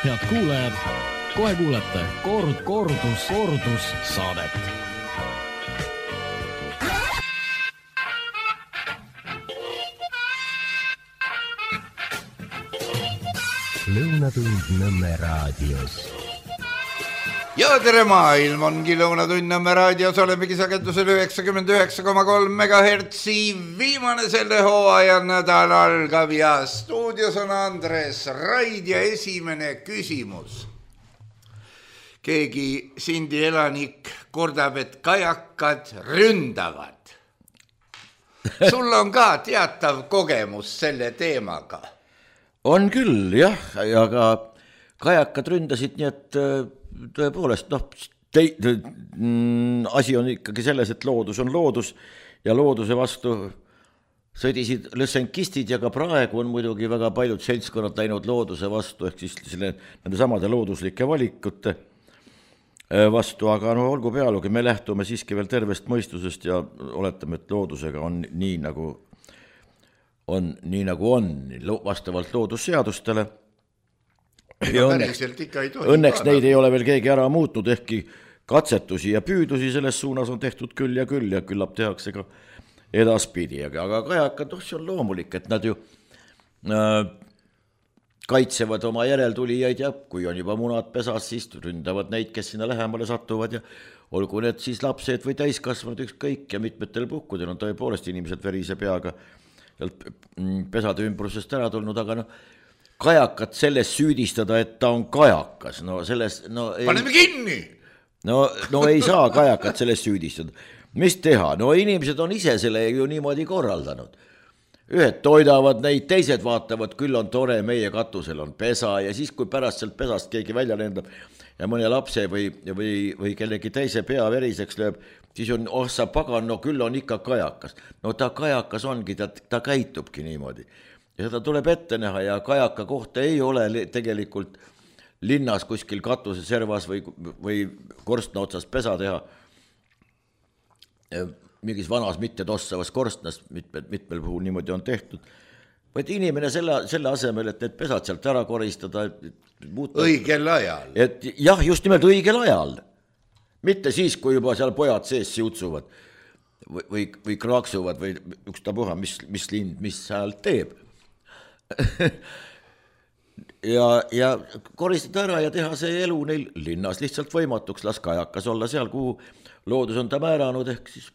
Head kuulajad, kohe kuulete kordus saadet. Lõunatund Nõmme raadios. Ja tere maailm, ongi Lõunatund Nõmme raadios, olemegi sagedusel 99,3 MHz. Viimane selle hooaja nädal algab ja stuudios on Andres Raid ja esimene küsimus. Keegi Sindi elanik kordab, et kajakad ründavad. Sul on ka teatav kogemus selle teemaga. On küll, jah, aga kajakad ründasid, nii et tõepoolest, asi on ikkagi selles, et loodus on loodus ja looduse vastu sõdisid lõssenkistid ja ka praegu on muidugi väga paljud seltskonnad läinud looduse vastu, ehk siis nende samade looduslike valikute vastu, aga no olgu pealugi, me lähtume siiski veel tervest mõistusest ja oletame, et loodusega on nii nagu on, vastavalt loodusseadustele. Ja õnneks neid ei ole veel keegi ära muutnud, ehkki katsetusi ja püüdusi selles suunas on tehtud küll ja küllap tehakse ka edaspidi. Aga kajakad, see on loomulik, et nad ju kaitsevad oma järeltulijaid ja kui on juba munad pesas, siis ründavad neid, kes sinna lähemale satuvad ja olgu need siis lapsed või täiskasvanud ükskõik ja mitmetel puhkudel on tõepoolest inimesed verise peaga pesade ümbrusest ära tulnud, aga kajakat selles süüdistada, et ta on kajakas, paneme kinni! No ei saa kajakat selles süüdistada. Mis teha? No inimesed on ise selle ju niimoodi korraldanud. Ühed toidavad neid, teised vaatavad, küll on tore, meie katusel on pesa ja siis, kui pärast sealt pesast keegi välja lendab ja mõne lapse või kellegi teise pea veriseks lööb, siis on, sa pagan, no küll on ikka kajakas. No ta kajakas ongi, ta käitubki niimoodi. Ja seda tuleb ette näha ja kajaka kohta ei ole tegelikult linnas kuskil katuse servas või korstna otsas pesa teha. Mingis vanas mitte tossavas korstnas mitmel puhul niimoodi on tehtud. Vaid inimene selle asemel, et need pesad sealt ära koristada. Õigel ajal. Jah, just nimelt õigel ajal. Mitte siis, kui juba seal pojad sees siutsuvad või kraaksuvad või ükstapuha, mis lind, mis hääl teeb. ja koristada ära ja teha see elu neil linnas lihtsalt võimatuks, las kajakas olla seal, kuhu loodus on ta määranud, ehk siis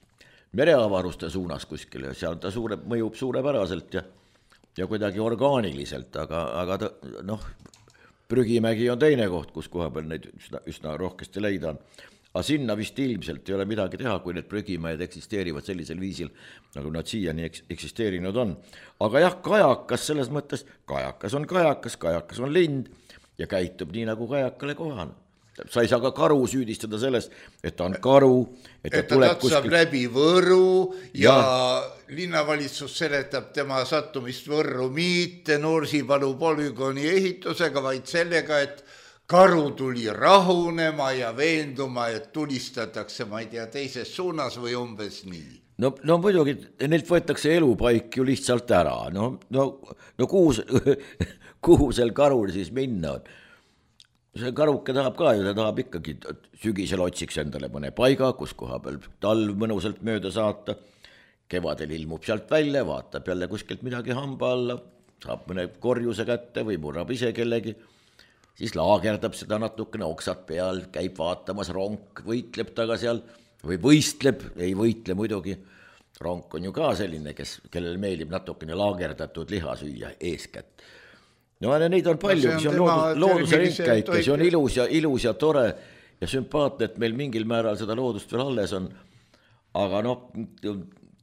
mereavaruste suunas kuskile, seal ta mõjub suurepäraselt ja kuidagi orgaaniliselt, aga Prügimägi on teine koht, kus koha peal neid üsna rohkesti leida on. Aga sinna vist ilmselt ei ole midagi teha, kui need prügimäed eksisteerivad sellisel viisil, nagu nad siiani eksisteerinud on. Aga jah, kajakas selles mõttes, kajakas on lind ja käitub nii, nagu kajakale kohane. Sa ei saa ka karu süüdistada sellest, et ta on karu. Et ta tatsab läbi Võru ja linnavalitsus seletab tema sattumist Võrru mitte Nursipalu polügooni ehitusega, vaid sellega, et karu tuli rahunema ja veenduma, et tulistatakse, ma ei tea, teises suunas või umbes nii. No muidugi, neilt võetakse elupaik ju lihtsalt ära. No kuhu seal karul siis minna on? See karuke tahab ka ju, ta tahab ikkagi sügisel otsiks endale mõne paiga, kus koha peal talv mõnusalt mööda saata. Kevadel ilmub sealt välja, vaatab jälle kuskilt midagi hamba alla, saab mõne korjuse kätte või murrab ise kellegi. Siis laagerdab seda natukene oksad peal, käib vaatamas, ronk võitleb taga seal või võistleb, ei võitle muidugi. Ronk on ju ka selline, kellel meeldib natukene laagerdatud liha süüa eeskätt. No neid on palju, see on looduse ringkäik ja see on ilus ja tore ja sümpaatne, et meil mingil määral seda loodust veel alles on. Aga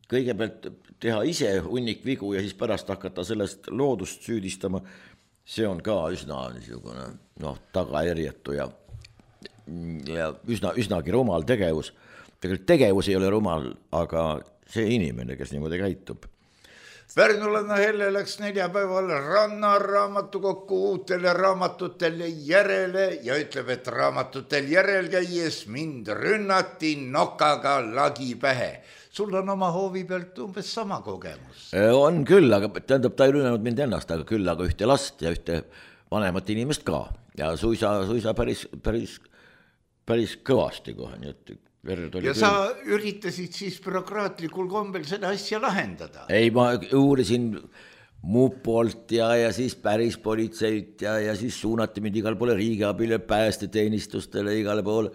kõigepealt teha ise hunnik vigu ja siis pärast hakata sellest loodust süüdistama, see on ka üsna tagajärjetu ja üsnagi rumal tegevus. Tegelikult tegevus ei ole rumal, aga see inimene, kes niimoodi käitub. Pärnulanna Helle läks neljapäeval Rannaraamatukokku uutele raamatutele järele ja ütleb, et raamatutel järel käies mind rünnati nokaga lagi pähe. Sul on oma hoovi pealt umbes sama kogemus. On küll, aga tähendab, ta ei rünnanud mind ennast, aga küll aga ühte last ja ühte vanemat inimest ka ja suisa päris kõvasti kohe, nii et verd oli ja küll. Sa üritasid siis bürokraatlikul kombel seda asja lahendada? Ei, ma uurisin mupolt ja siis päris politseilt ja siis suunati mind igal poole riigiabile, päästeteenistustele igale poole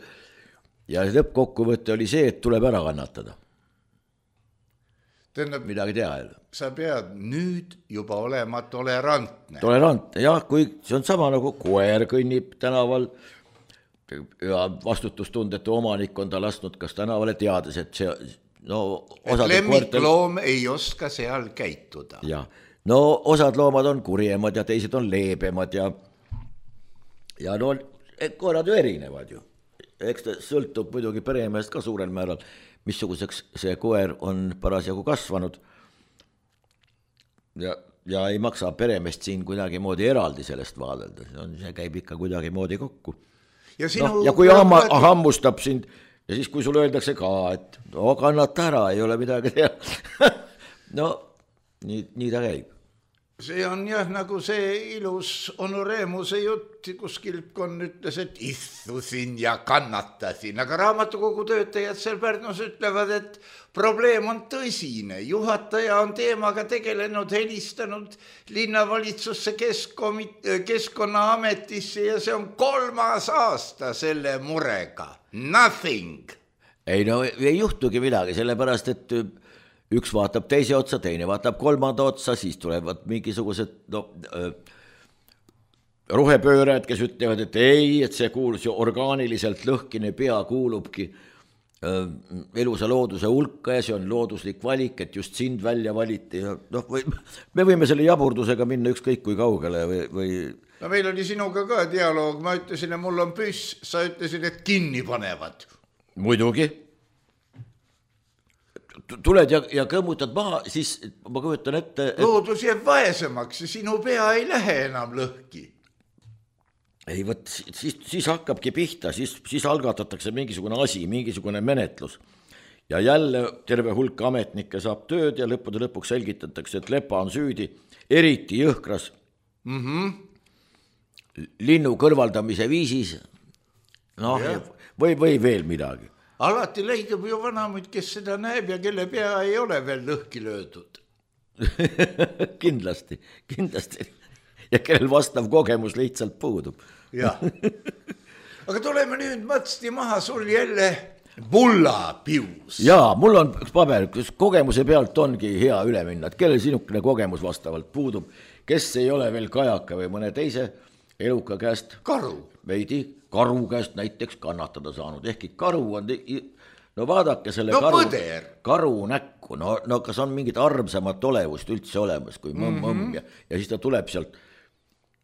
ja lõppkokkuvõte oli see, et tuleb ära kannatada. Tähendab, midagi teha. Sa pead nüüd juba olema tolerantne. Tolerantne, jah, kui see on sama nagu koer kõnnib tänaval ja vastutustundetu omanik on ta lasknud kas tänavale teades, et see et lemmikloom ei oska seal käituda. Jah. No osad loomad on kurjemad ja teised on leebemad ja no koerad ju erinevad ju. Eks ta sõltub muidugi peremehest ka suurel määral, missuguseks see koer on parasjagu kasvanud. Ja ei maksa peremehest siin kuidagi moodi eraldi sellest vaadelda, see käib ikka kuidagi moodi kokku. Ja kui hammustab sind ja siis kui sulle öeldakse ka, et kannata ära, ei ole midagi teha. No nii ta käib. See on jah nagu see ilus Onu Reemuse jutt, kus Kilpkon ütles, et istusin ja kannatasin, aga raamatukogu töötajad seal Pärnus ütlevad, et probleem on tõsine. Juhataja on teemaga tegelenud, helistanud linnavalitsusse Keskkonnaametisse ja see on 3. aasta selle murega. Nothing. Ei juhtugi midagi, sellepärast, et üks vaatab teise otsa, teine vaatab 3. otsa, siis tulevad mingisugused rohepöörajad, kes ütlevad, et ei, et see kuulus ju orgaaniliselt lõhkine pea kuulubki elusa looduse hulka ja see on looduslik valik, et just sind välja valiti. Ja me võime selle jaburdusega minna ükskõik kui kaugele või... No meil oli sinuga ka dialoog, ma ütlesin, et mul on püss, sa ütlesid, et kinni panevad. Muidugi. Tuled ja kõmmutad maha, siis ma kujutan ette... Loodus jääb vaesemaks ja sinu pea ei lähe enam lõhki. Ei, võt, siis hakkabki pihta, siis algatatakse mingisugune asi, mingisugune menetlus. Ja jälle terve hulk ametnikke saab tööd ja lõpuks selgitatakse, et Lepa on süüdi, eriti jõhkras linnu kõrvaldamise viisis. Või veel midagi. Alati leidub ju vanamuid, kes seda näeb ja kelle pea ei ole veel lõhki löödud. Kindlasti. Ja kellel vastav kogemus lihtsalt puudub. Jah. Aga tuleme nüüd mõtsti maha sul jälle mullapius. Jaa, mul on üks paber, kus kogemuse pealt ongi hea üle minna, et kellel sinukene kogemus vastavalt puudub, kes ei ole veel kajaka või mõne teise eluka käest. Veidi karu käest näiteks kannatada saanud, ehkki karu on, vaadake selle karu näkku, kas on mingit armsamat olevust üldse olemas kui mõmm ja siis ta tuleb sealt.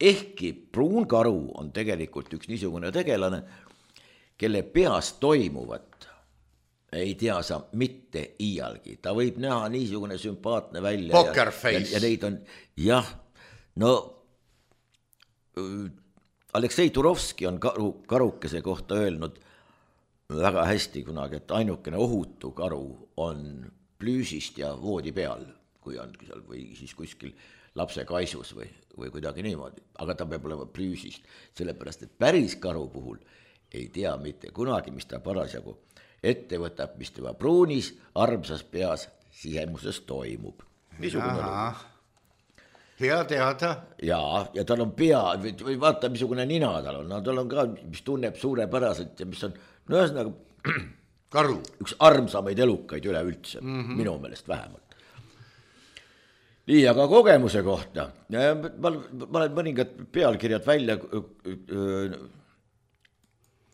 Ehkki pruun karu on tegelikult üks niisugune tegelane, kelle peas toimuvat ei tea sa mitte iialgi. Ta võib näha niisugune sümpaatne välja. Poker face. Ja neid on, jah, Aleksei Turovski on karukese kohta öelnud väga hästi kunagi, et ainukene ohutu karu on plüüsist ja voodi peal, kui on seal või siis kuskil lapse kaisus või kuidagi niimoodi, aga ta peab olema plüüsist, sellepärast, et päris karu puhul ei tea mitte kunagi, mis ta parasjagu ette võtab, mis tema pruunis, armsas peas sisemuses toimub. Hea teada. Ja tal on pea, või vaata, missugune nina tal on ka, mis tunneb suurepäraselt ja mis on, ühesõnaga karu. Üks armsamaid elukaid üleüldse, minu meelest vähemalt. Nii, aga kogemuse kohta. Ma olen mõningad pealkirjad välja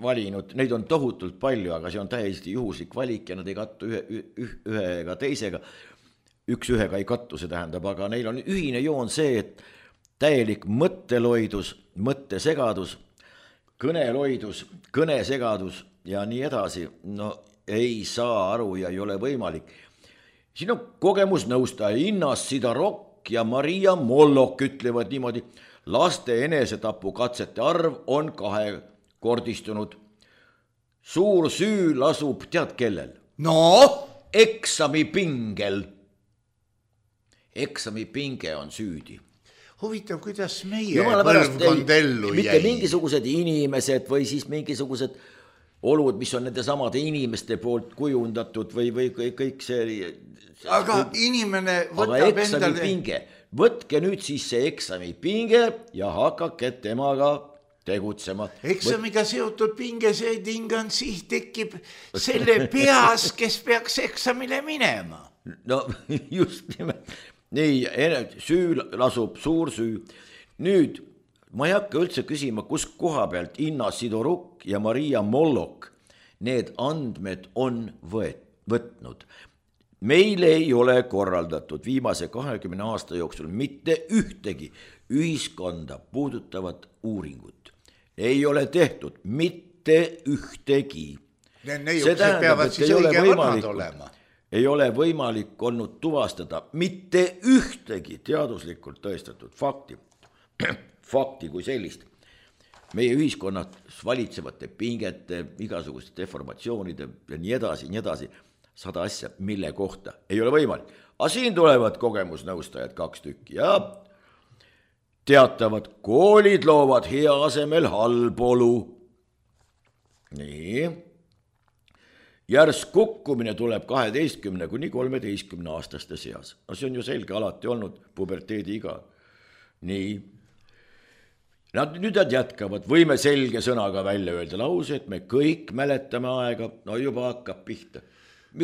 valinud, neid on tohutult palju, aga see on täiesti juhuslik valik ja nad ei kattu ühe ega teisega. Üks ühega ei kattu, see tähendab, aga neil on ühine joon see, et täielik mõtteloidus, mõttesegadus, kõneloidus, kõnesegadus ja nii edasi, ei saa aru ja ei ole võimalik. Siin on kogemusnõustaja Innas Sidarok ja Maria Mollok ütlevad niimoodi, laste enesetapu katsete arv on 2-kordistunud. Suur süü lasub tead kellel? Eksamipingel. Eksamipinge on süüdi. huvitav, kuidas meie põlvkond ellu jäi. Mitte mingisugused inimesed või siis mingisugused olud, mis on nende samade inimeste poolt kujundatud või kõik see. Aga inimene võtab aga eksami pinge, võtke nüüd siis see eksami pinge ja hakake temaga tegutsema. Eksamiga seotud pinge, see tingan siis tekib selle peas, kes peaks eksamile minema. No just nimelt. Nii, süü lasub suur süü. Nüüd, ma ei hakka üldse küsima, kus koha pealt Inna Sidoruk ja Maria Mollok need andmed on võtnud. Meil ei ole korraldatud viimase 20 aasta jooksul mitte ühtegi ühiskonda puudutavat uuringut. Ei ole tehtud mitte ühtegi. Neiuksed peavad siis õige vanad olema. Ei ole võimalik olnud tuvastada mitte ühtegi teaduslikult tõestatud fakti kui sellist. Meie ühiskonnad valitsevate pingete, igasuguste deformatsioonide ja nii edasi, 100 asja, mille kohta ei ole võimalik. Aga siin tulevad kogemusnõustajad 2 tükki ja teatavad, koolid loovad hea asemel halbolu. Nii. Järsk kukkumine tuleb 12 kuni 13 aastaste seas. No see on ju selge, alati olnud puberteedi iga. Nii. Nüüd nad jätkavad, võime selge sõnaga välja öelda lause, et me kõik mäletame aega, no juba hakkab pihta.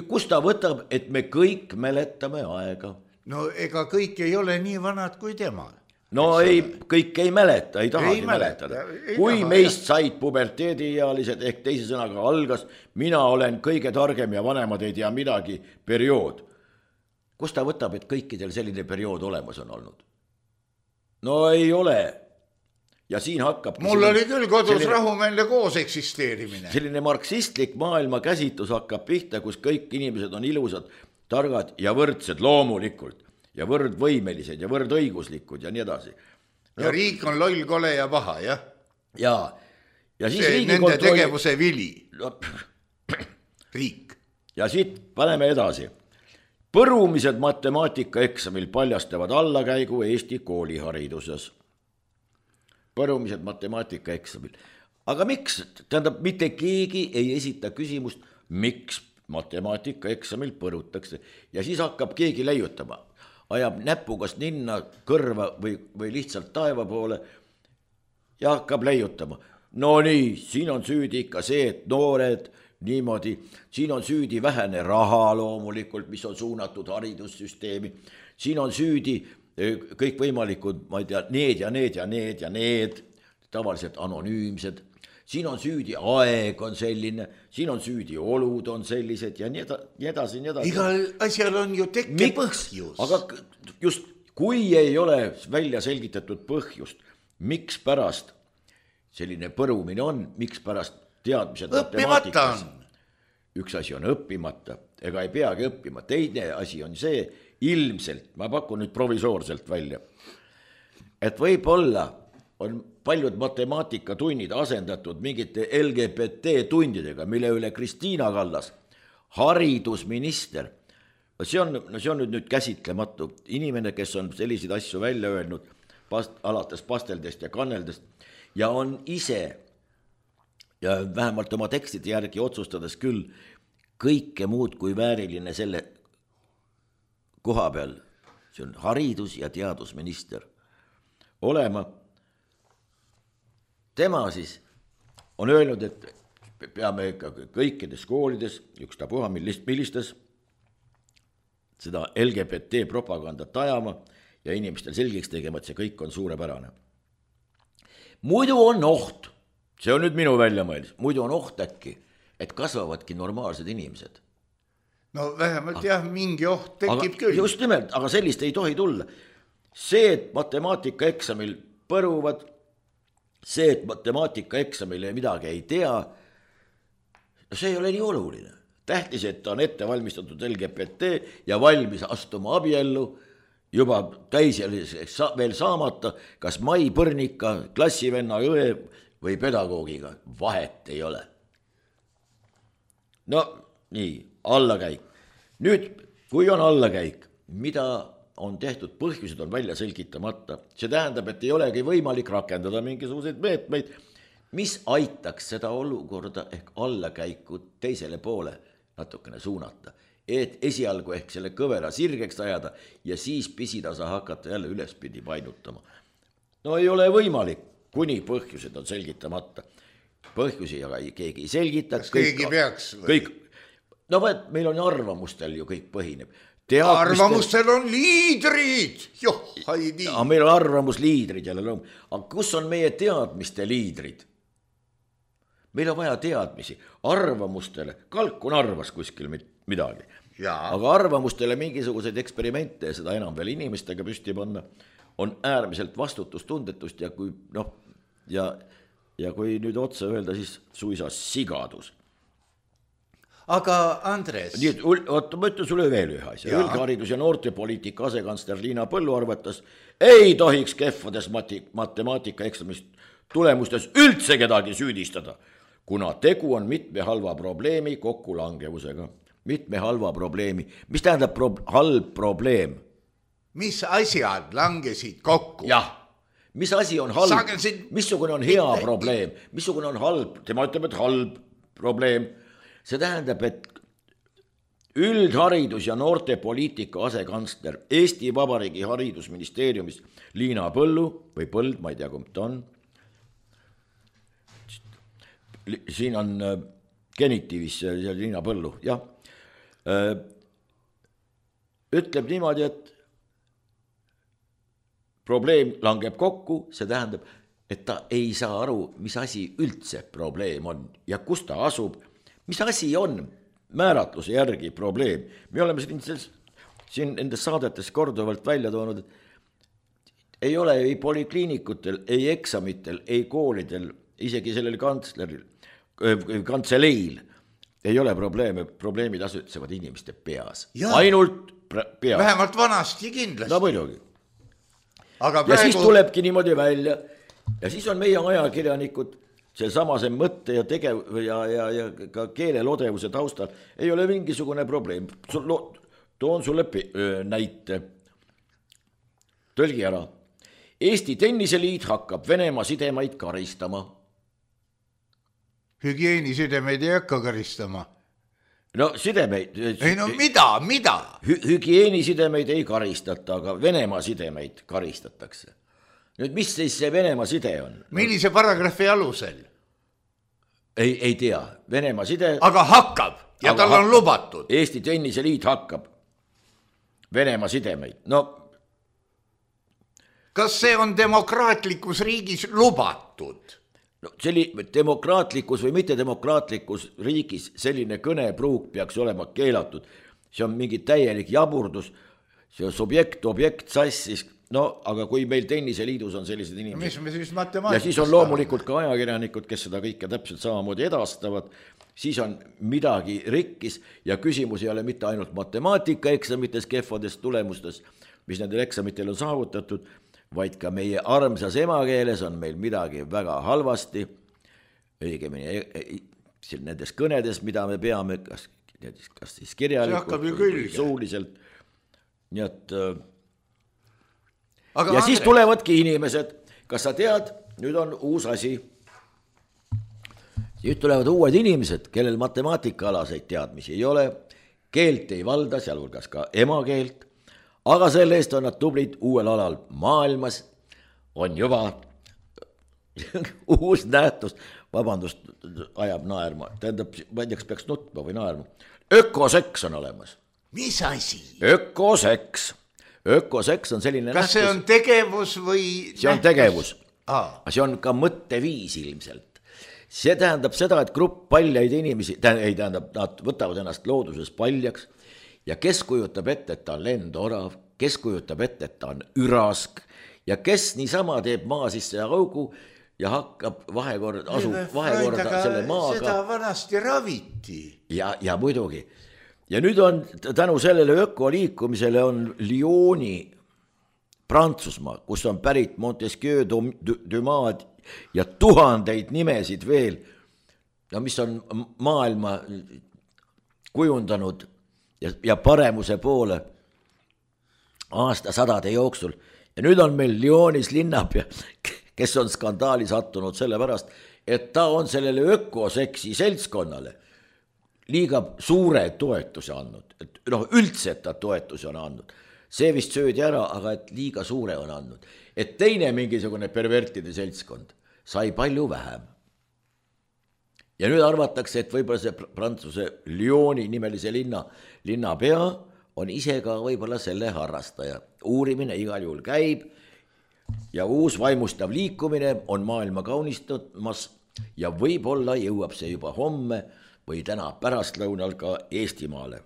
Kust ta võtab, et me kõik mäletame aega? No ega kõik ei ole nii vanad kui tema. No ei, kõik ei mäleta, ei tahagi mäletada. Kui meist said puberteediealised ehk teise sõnaga algas, mina olen kõige targem ja vanemad ei tea midagi periood. Kust ta võtab, et kõikidel selline periood olemas on olnud? No ei ole. Ja siin hakkab... Mul oli küll kodus rahumeelne koos eksisteerimine. Selline marksistlik maailma käsitlus hakkab pihta, kus kõik inimesed on ilusad, targad ja võrdsed loomulikult. Ja võrdvõimelised ja võrdõiguslikud ja nii edasi. Ja riik on loll, kole ja paha, jah? Ja siis see nende tegevuse vili. Riik. Ja siit paneme edasi. Põrumised matemaatikaeksamil paljastavad allakäigu Eesti koolihariduses. Põrumised matemaatikaeksamil. Aga miks? Tähendab, mitte keegi ei esita küsimust, miks matemaatikaeksamil põrutakse. Ja siis hakkab keegi leiutama. Ajab näpugast ninna kõrva või lihtsalt taeva poole ja hakkab leiutama. No nii, siin on süüdi ikka see, et noored niimoodi, siin on süüdi vähene raha loomulikult, mis on suunatud haridussüsteemi, siin on süüdi kõikvõimalikud, ma ei tea, need, tavaliselt anonüümsed, siin on süüdi aeg on selline, siin on süüdi olud on sellised ja nii edasi. Igal asjal on ju tekke põhjus. Aga just, kui ei ole välja selgitatud põhjust, miks pärast selline põrumine on, miks pärast teadmised matemaatikas. Üks asi on õppimata, ega ei peagi õppima. Teine asi on see, ilmselt, ma pakun nüüd provisoorselt välja, et võib-olla on paljud matemaatikatunnid asendatud mingite LGBT tundidega, mille üle Kristiina Kallas, haridusminister, see on nüüd käsitlematu inimene, kes on selliseid asju välja öelnud alates pasteldest ja kanneldest ja on ise ja vähemalt oma tekstide järgi otsustades küll kõike muud kui vääriline selle koha peal, see on haridus- ja teadusminister olema. Tema siis on öelnud, et peame kõikides koolides, ükstapuha millistes, seda LGBT propagandat ajama ja inimestel selgeks tegema, et see kõik on suurepärane. Muidu on oht, see on nüüd minu väljamõeldis, muidu on oht äkki, et kasvavadki normaalsed inimesed. No vähemalt jah, mingi oht tekib küll. Just nimelt, aga sellist ei tohi tulla. See, et matemaatikaeksamil põruvad, see, et matemaatikaeksamile midagi ei tea, see ei ole nii oluline. Tähtis, et ta on ette valmistatud LGBT ja valmis astuma abiellu, juba täiseliseks veel saamata, kas Mai Põrnika, klassivenna õe või pedagoogiga, vahet ei ole. No nii, allakäik. Nüüd, kui on allakäik, mida on tehtud, põhjused on välja selgitamata. See tähendab, et ei olegi võimalik rakendada mingisuguseid meetmeid, mis aitaks seda olukorda ehk allakäiku teisele poole natukene suunata. Et esialgu ehk selle kõvera sirgeks ajada ja siis pisitasa hakata jälle ülespidi painutama. No ei ole võimalik, kuni põhjused on selgitamata. Põhjusi aga keegi ei selgita. Kas keegi peaks? Kõik. No meil on arvamustel ju kõik põhineb. Arvamustel on liidrid. Joh, haidi. Meil on arvamusliidrid jälle lõum. Aga kus on meie teadmiste liidrid? Meil on vaja teadmisi. Arvamustele, Kalkun arvas kuskil midagi. Aga arvamustele mingisuguseid eksperimente ja seda enam veel inimestega püsti panna on äärmiselt vastutustundetust ja kui ja kui nüüd otsa öelda, siis suisa sigadus. Aga Andres... Oota, ma ütlen sulle veel ühe asja. Üldharidus- ja noortepoliitika asekantsler Liina Põllu arvates ei tohiks kehvades matemaatika eksamist tulemustes üldse kedagi süüdistada, kuna tegu on mitme halva probleemi kokkulangevusega. Mitme halva probleemi. Mis tähendab halb probleem? Mis asjad langesid kokku? Jah. Mis asi on halb? Missugune on hea probleem? Missugune on halb? Tema ütleb, et halb probleem. See tähendab, et üldharidus- ja noortepoliitika asekantsler Eesti Vabariigi haridusministeeriumis Liina Põllu või Põld, ma ei tea, kumb ta on. Siin on genitiivis Liina Põllu, jah. Ütleb niimoodi, et probleem langeb kokku, see tähendab, et ta ei saa aru, mis asi üldse probleem on ja kus ta asub. Mis asi on määratluse järgi probleem? Me oleme siin nendes saadetes korduvalt välja toonud, et ei ole ei polikliinikutel, ei eksamitel, ei koolidel, isegi sellel kantseleil ei ole probleeme, probleemid asutsevad inimeste peas. Ainult peas. Vähemalt vanasti kindlasti. No muidugi. Aga ja siis tulebki niimoodi välja ja siis on meie ajakirjanikud see samase mõtte ja ja ka keelelodevuse taustal ei ole mingisugune probleem. Toon sulle näite. Tõlgi ära. Eesti Tenniseliit hakkab Venemaa sidemaid karistama. Hügieenisidemeid ei hakka karistama. No sidemeid. Ei no mida? Hügieenisidemeid ei karistata, aga Venemaa sidemeid karistatakse. Nüüd, mis siis see Venemaa side on? Millise paragrahvi alusel? Ei tea. Venemaa side... Aga hakkab ja tal on lubatud. Eesti Tenniseliit hakkab Venemaa sidemeid. No... Kas see on demokraatlikus riigis lubatud? No, demokraatlikus või mitte demokraatlikus riigis selline kõnepruuk peaks olema keelatud. See on mingi täielik jaburdus. See on objekt, sassis. No, aga kui meil Tenniseliidus on sellised inimesed... Mis me siis matemaatikast... Ja siis on loomulikult ka ajakirjanikud, kes seda kõike täpselt samamoodi edastavad. Siis on midagi rikkis ja küsimus ei ole mitte ainult matemaatikaeksamites kehvades tulemustes, mis nendel eksamitel on saavutatud, vaid ka meie armsas emakeeles on meil midagi väga halvasti. Õigemini nendes kõnedes, mida me peame, kas siis kirjalikult või suuliselt. Nii et... Aga ja siis tulevadki inimesed, kas sa tead, nüüd on uus asi. Nüüd tulevad uued inimesed, kellel matemaatikaalaseid teadmisi ei ole, keelt ei valda, sealhulgas ka emakeelt, aga selle eest on nad tublid uuel alal maailmas, on juba uus nähtus, vabandust, ajab naerma, tähendab, ma ei tea, kas peaks nutma või naerma. Ökoseks on olemas. Mis asi? Ökoseks on selline nähtus. Kas see on tegevus või... See on tegevus. See on ka mõtteviis ilmselt. See tähendab seda, et grupp paljaid inimesi, nad võtavad ennast looduses paljaks ja kes kujutab ette, et ta on lendorav, kes kujutab ette, et ta on ürask ja kes niisama teeb maa sisse augu ja hakkab vahekorda selle maaga. Seda vanasti raviti. Ja muidugi. Ja nüüd on tänu sellele ökoliikumisele on Lyoni Prantsusmaa, kus on pärit Montesquieu Dumas ja tuhandeid nimesid veel, mis on maailma kujundanud ja paremuse poole aastasadade jooksul ja nüüd on meil Lyonis linnapea, kes on skandaali sattunud sellepärast, et ta on sellele ökoseksi seltskonnale liiga suure toetuse andnud, et üldse, et ta toetuse on andnud. See vist söödi ära, aga et liiga suure on andnud. Et teine mingisugune pervertide seltskond sai palju vähem. Ja nüüd arvatakse, et võib-olla see Prantsuse Lyoni nimelise linnapea on ise ka võib-olla selle harrastaja. Uurimine igal juhul käib ja uus vaimustav liikumine on maailma kaunistamas ja võib-olla jõuab see juba homme või täna pärastlõunal ka Eestimaale.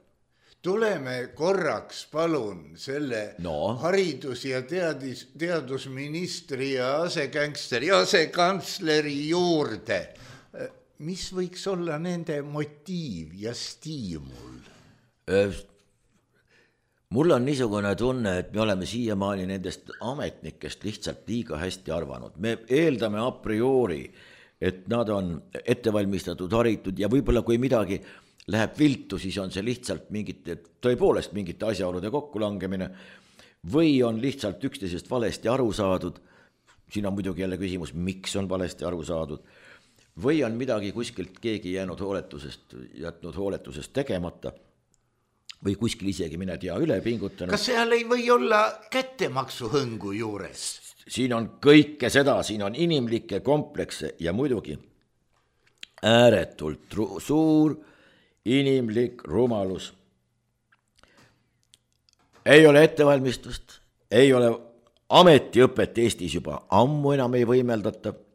Tuleme korraks palun selle haridus- ja teadusministri ja asekantsleri juurde. Mis võiks olla nende motiiv ja stiimul? Mul on niisugune tunne, et me oleme siiamaani nendest ametnikest lihtsalt liiga hästi arvanud. Me eeldame a priori, et nad on ettevalmistatud, haritud ja võib-olla kui midagi läheb viltu, siis on see lihtsalt tõepoolest mingite asjaolude kokkulangemine või on lihtsalt üksteisest valesti aru saadud. Siin on muidugi jälle küsimus, miks on valesti aru saadud. Või on midagi kuskilt keegi jätnud hooletusest tegemata või kuskil isegi mine tea üle pingutanud. Kas seal ei või olla kättemaksuhõngu juures? Siin on kõike seda, siin on inimlikke komplekse ja muidugi ääretult suur inimlik rumalus. Ei ole ettevalmistust, ei ole ametiõpet Eestis juba ammu enam ei võimeldata.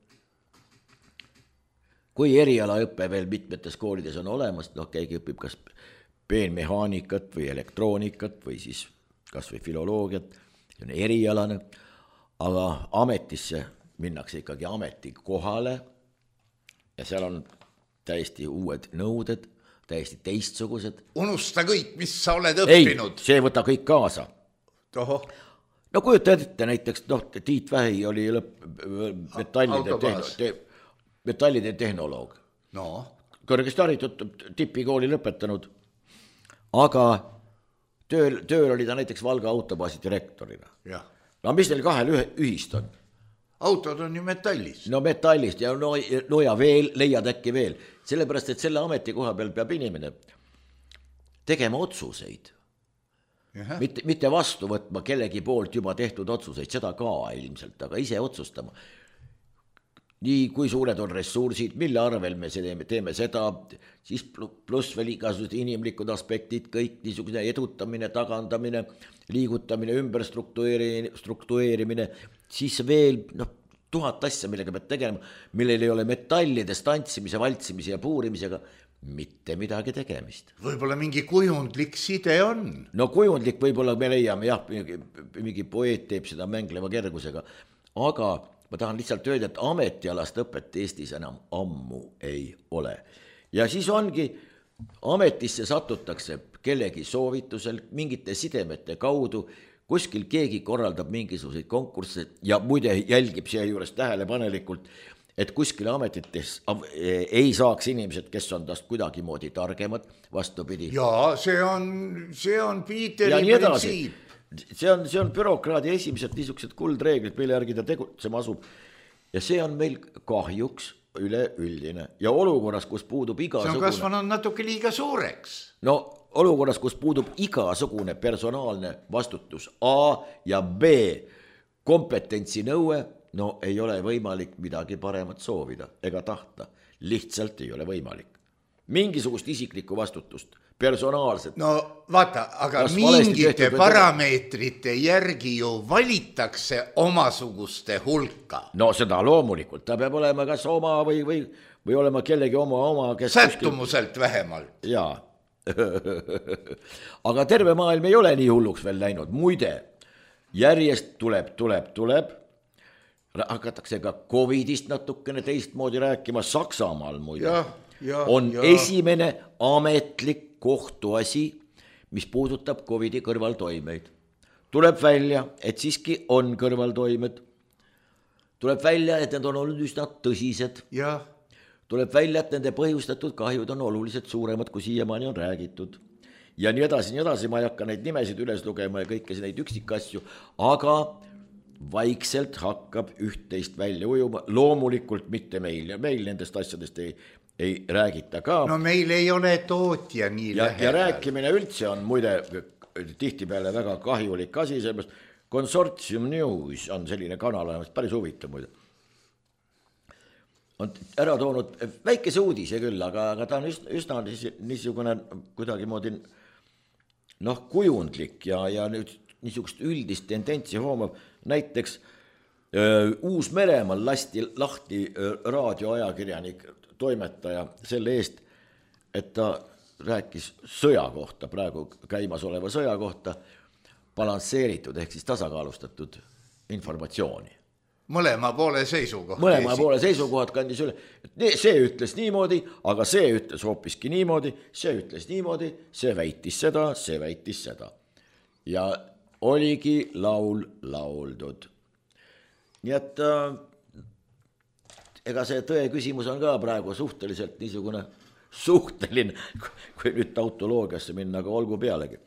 Kui erialaõppe veel mitmetes koolides on olemas, keegi õpib kas peenmehaanikat või elektroonikat või siis kas või filoloogiat, see on erialane, aga ametisse minnakse ikkagi ametikohale ja seal on täiesti uued nõuded, täiesti teistsugused. Unusta kõik, mis sa oled õppinud. Ei, see võta kõik kaasa. Toho. No kujuta ette näiteks, Tiit Vähi oli metallide tehnoloog. No. Kõrgesti haritud tipikooli lõpetanud, aga tööl oli ta näiteks Valga autobaasi direktorina. Jah. No mis neil kahel ühist on? Autod on ju metallist. No metallist ja ja veel, leiad äkki veel. Sellepärast, et selle ametikoha peal peab inimene tegema otsuseid. Mitte vastu võtma kellegi poolt juba tehtud otsuseid, seda ka ilmselt, aga ise otsustama. Nii kui suured on ressursid, mille arvel me teeme seda, siis pluss veel igasugused inimlikud aspektid, kõik niisugune edutamine, tagandamine, liigutamine, ümberstruktueerimine, siis veel 1000 asja, millega pead tegema, millel ei ole metallidest tantsimise, valtsimise ja puurimisega mitte midagi tegemist. Võib-olla mingi kujundlik side on. No kujundlik võib-olla me leiame, jah, mingi poeet teeb seda mängleva kergusega, aga ma tahan lihtsalt öelda, et ametialast õpet Eestis enam ammu ei ole. Ja siis ongi, ametisse satutakse kellegi soovitusel, mingite sidemete kaudu, kuskil keegi korraldab mingisuguseid konkursse ja muide jälgib siia juures tähelepanelikult, et kuskil ametites ei saaks inimesed, kes on tast kuidagimoodi targemad, vastupidi. Jaa, see on Piiteri printsiip. See on bürokraadi esimesed niisugused kuldreeglid, mille järgi ta tegutsema asub. Ja see on meil kahjuks üleüldine. Ja olukorras, kus puudub igasugune... See on kasvanud natuke liiga suureks. No olukorras, kus puudub igasugune personaalne vastutus A ja B kompetentsi nõue, no ei ole võimalik midagi paremat soovida ega tahta. Lihtsalt ei ole võimalik. Mingisugust isiklikku vastutust. Personaalselt. No vaata, aga mingite parameetrite järgi ju valitakse omasuguste hulka. No seda loomulikult, ta peab olema kas oma või olema kellegi oma kes sättumuselt vähemalt. Jaa. Aga terve maailm ei ole nii hulluks veel läinud. Muide, järjest tuleb. Hakatakse ka Covidist natukene teistmoodi rääkima. Saksamaal muide on esimene ametlik kohtuasi, mis puudutab Covidi kõrvaltoimeid. Tuleb välja, et siiski on kõrvaltoimed. Tuleb välja, et need on olnud üsna tõsised. Ja. Tuleb välja, et nende põhjustatud kahjud on oluliselt suuremad, kui siiamaani on räägitud. ja nii edasi, ma ei hakka neid nimesid üles lugema ja kõiki neid üksikasju, aga vaikselt hakkab üht-teist välja ujuma, loomulikult mitte meil ja meil nendest asjadest ei räägita ka. No meil ei ole tootja nii lähedal. Ja rääkimine üldse on muide tihtipeale väga kahjulik asi, sellepärast Consortium News on selline kanal, päris huvitav muide. On ära toonud väikese uudise küll, aga ta on üsna niisugune kuidagi moodi kujundlik ja nüüd niisugust üldist tendentsi hoomab. Näiteks Uus-Meremaal lasti lahti raadioajakirjanik, toimetaja selle eest, et ta rääkis sõja kohta, praegu käimasoleva sõja kohta, balansseeritud ehk siis tasakaalustatud informatsiooni. Mõlema poole seisukohad. Mõlema poole seisukohad kandis üle. See ütles niimoodi, aga see ütles hoopiski niimoodi, see ütles niimoodi, see väitis seda. Ja oligi laul lauldud. Nii et ega see tõe küsimus on ka praegu suhteliselt niisugune suhteline, kui nüüd tautoloogiasse minna, aga olgu pealegi.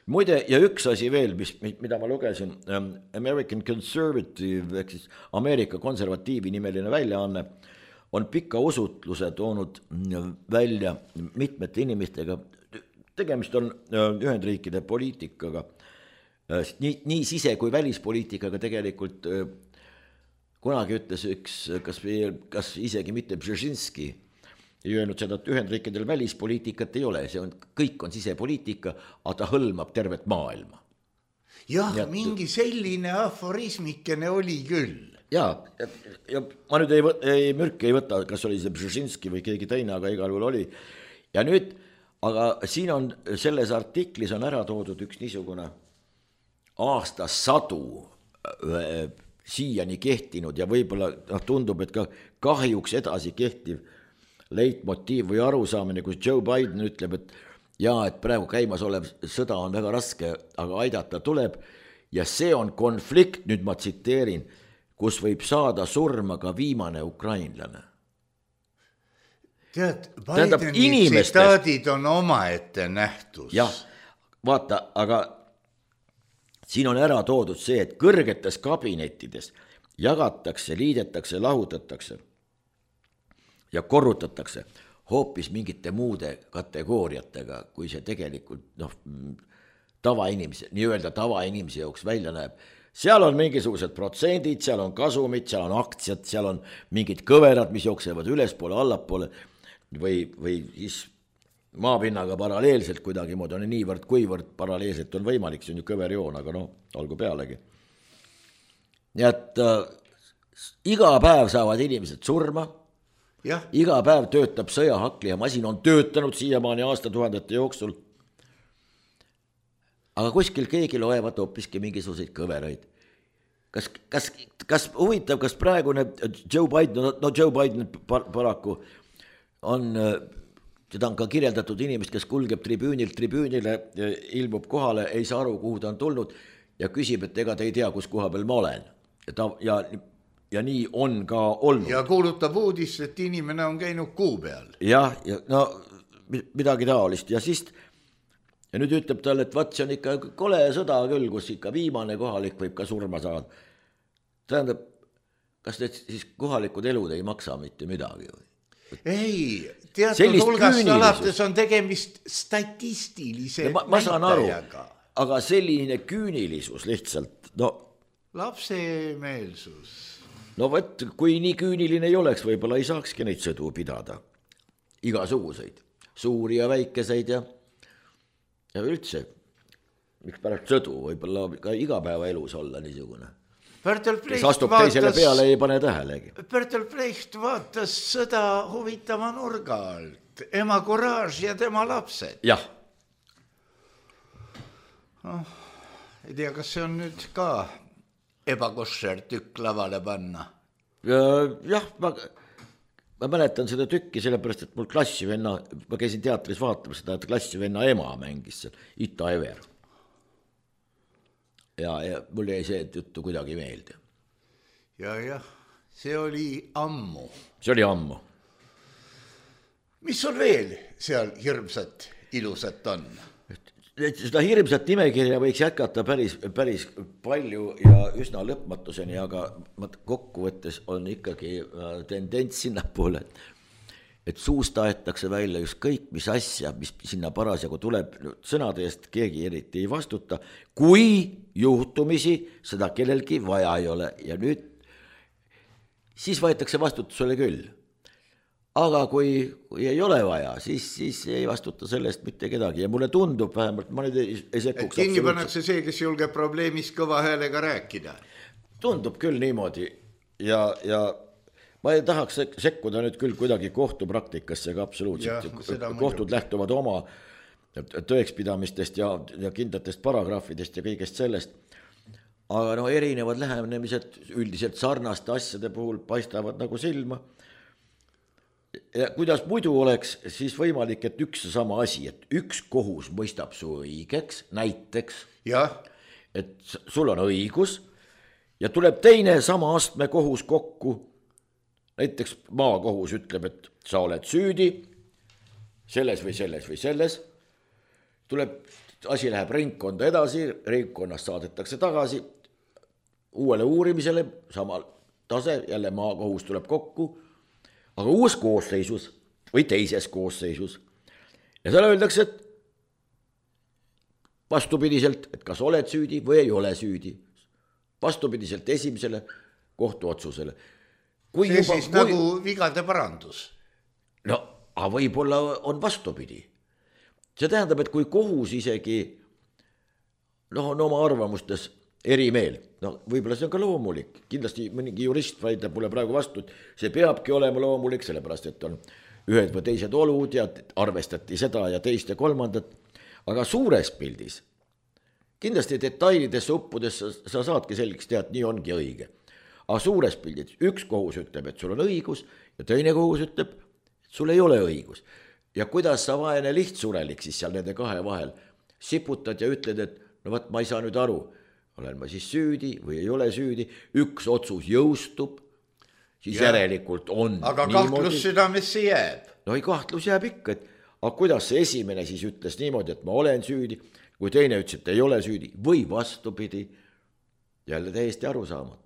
Muide, ja üks asi veel, mida ma lugesin, American Conservative, ehk siis Ameerika konservatiivi nimeline väljaanne, on pika usutluse toonud välja mitmete inimestega. Tegemist on Ühendriikide poliitikaga, nii sise- kui välispoliitikaga tegelikult kunagi ütles üks, kas isegi mitte Brzezinski, ei öelnud seda, et Ühendriikidel välispoliitikat ei ole, kõik on sisepoliitika, aga ta hõlmab tervet maailma. Jah, mingi selline aforismikene oli küll. Ja ma nüüd mürki ei võta, kas oli see Brzezinski või keegi teine, aga igal juhul oli. Ja nüüd, aga siin on, selles artiklis on ära toodud üks niisugune aastasadu siiani kehtinud ja võib-olla tundub, et ka kahjuks edasi kehtiv leitmotiiv või arusaamine, kus Joe Biden ütleb, et praegu käimas olev sõda on väga raske, aga aidata tuleb ja see on konflikt, nüüd ma tsiteerin, kus võib saada surma ka viimane ukrainlane. Tead, Bideni tsitaadid on omaette nähtus. Jah, vaata, aga siin on ära toodud see, et kõrgetes kabinettides jagatakse, liidetakse, lahutatakse ja korrutatakse hoopis mingite muude kategooriatega, kui see tegelikult nii-öelda tavainimese jooks välja näeb. Seal on mingisugused protsendid, seal on kasumid, seal on aktsiad, seal on mingid kõverad, mis jooksevad ülespoole, allapoole või siis maapinnaga paralleelselt kuidagi moodi on niivõrd, kuivõrd paralleelselt on võimalik, see on ju kõverjoon, aga olgu pealegi. Nii et iga päev saavad inimesed surma, iga päev töötab sõjahakli ja masin on töötanud siiamaani aastatuhandete jooksul. Aga kuskil keegi loevad hoopiski mingisuguseid kõveraid. Kas huvitav, kas praegune Joe Biden paraku on, teda on ka kirjeldatud inimest, kes kulgeb tribüünile, ilmub kohale, ei saa aru, kuhu ta on tulnud ja küsib, et ega te ei tea, kus koha peal ma olen. Ja nii on ka olnud. Ja kuulutab uudist, et inimene on käinud kuu peal. Jah, midagi taolist. Ja nüüd ütleb talle, et see on ikka kole sõda küll, kus ikka viimane kohalik võib ka surma saada. Tähendab, kas need siis kohalikud elud ei maksa mitte midagi või? Ei, teatud hulgast alates on tegemist statistilise ma saan aru, aga selline küünilisus lihtsalt, lapsemeelsus. Kui nii küüniline ei oleks, võib-olla ei saakski neid sõdu pidada. Igasuguseid, suuri ja väikeseid ja üldse, miks pärast sõdu, võib-olla ka igapäeva elus olla niisugune. Kes astub teisele peale, ei pane tähelegi. Bertolt Brecht vaatas sõda huvitava nurga alt. Ema Courage ja tema lapsed. Jah. Ei tea, kas see on nüüd ka ebakošer tükk lavale panna? Jah, ma mäletan seda tükki, sellepärast, et mul klassivenna, ma käisin teatris vaatamas seda, et klassivenna ema mängis seal, Ita Ever. Ja mul jäi see juttu kuidagi meelde. Ja, see oli ammu. See oli ammu. Mis sul veel seal hirmsat, ilusat on? seda hirmsat nimekirja võiks jätkata päris palju ja üsna lõpmatuseni, aga kokkuvõttes on ikkagi tendents sinnapoole, et suust aetakse välja just kõik, mis asja, mis sinna parasjagu tuleb, sõnade eest keegi eriti ei vastuta, kui juhtumisi seda kellelgi vaja ei ole ja nüüd siis võetakse vastutusele küll. Aga kui ei ole vaja, siis ei vastuta sellest mitte kedagi ja mulle tundub vähemalt, ma nüüd ei sekkuks. Kinni pannakse see, kes julgeb probleemist kõva häälega rääkida. Tundub küll niimoodi ja ma ei tahaks sekkuda nüüd küll kuidagi kohtupraktikasse ka absoluutselt. Kohtud lähtuvad oma tõekspidamistest ja kindlatest paragrahvidest ja kõigest sellest. Aga erinevad lähenemised üldiselt sarnaste asjade puhul paistavad nagu silma. Ja kuidas muidu oleks siis võimalik, et üks sama asi, et üks kohus mõistab su õigeks, näiteks, et sul on õigus ja tuleb teine sama astme kohus kokku. Näiteks maakohus ütleb, et sa oled süüdi selles või selles või selles. Tuleb, asi läheb ringkonda edasi, ringkonnast saadetakse tagasi uuele uurimisele, samal tase, jälle maakohus tuleb kokku, aga uues koosseisus või teises koosseisus. Ja seal öeldakse, et vastupidiselt, et kas oled süüdi või ei ole süüdi. Vastupidiselt esimesele kohtuotsusele. See siis nagu vigade parandus. No, aga võib-olla on vastupidi. See tähendab, et kui kohus isegi on oma arvamustes eri meel, võib-olla see on ka loomulik. Kindlasti mõnigi jurist vaidleb mulle praegu vastu, et see peabki olema loomulik, sellepärast et on ühed või teised olud ja arvestati seda ja teist ja kolmandat. Aga suures pildis, kindlasti detailidesse uppudes sa saadki selgeks teha, et nii ongi õige. Aga suures pildis üks kohus ütleb, et sul on õigus ja teine kohus ütleb, et sul ei ole õigus. Ja kuidas sa vaene lihtsurelik siis seal nende kahe vahel siputad ja ütled, et ma ei saa nüüd aru, olen ma siis süüdi või ei ole süüdi, üks otsus jõustub, siis järelikult on aga niimoodi. Kahtlus südamesse jääb. No ei, kahtlus jääb ikka, et aga kuidas see esimene siis ütles niimoodi, et ma olen süüdi, kui teine ütles, et ei ole süüdi või vastupidi, jälle täiesti arusaamatu.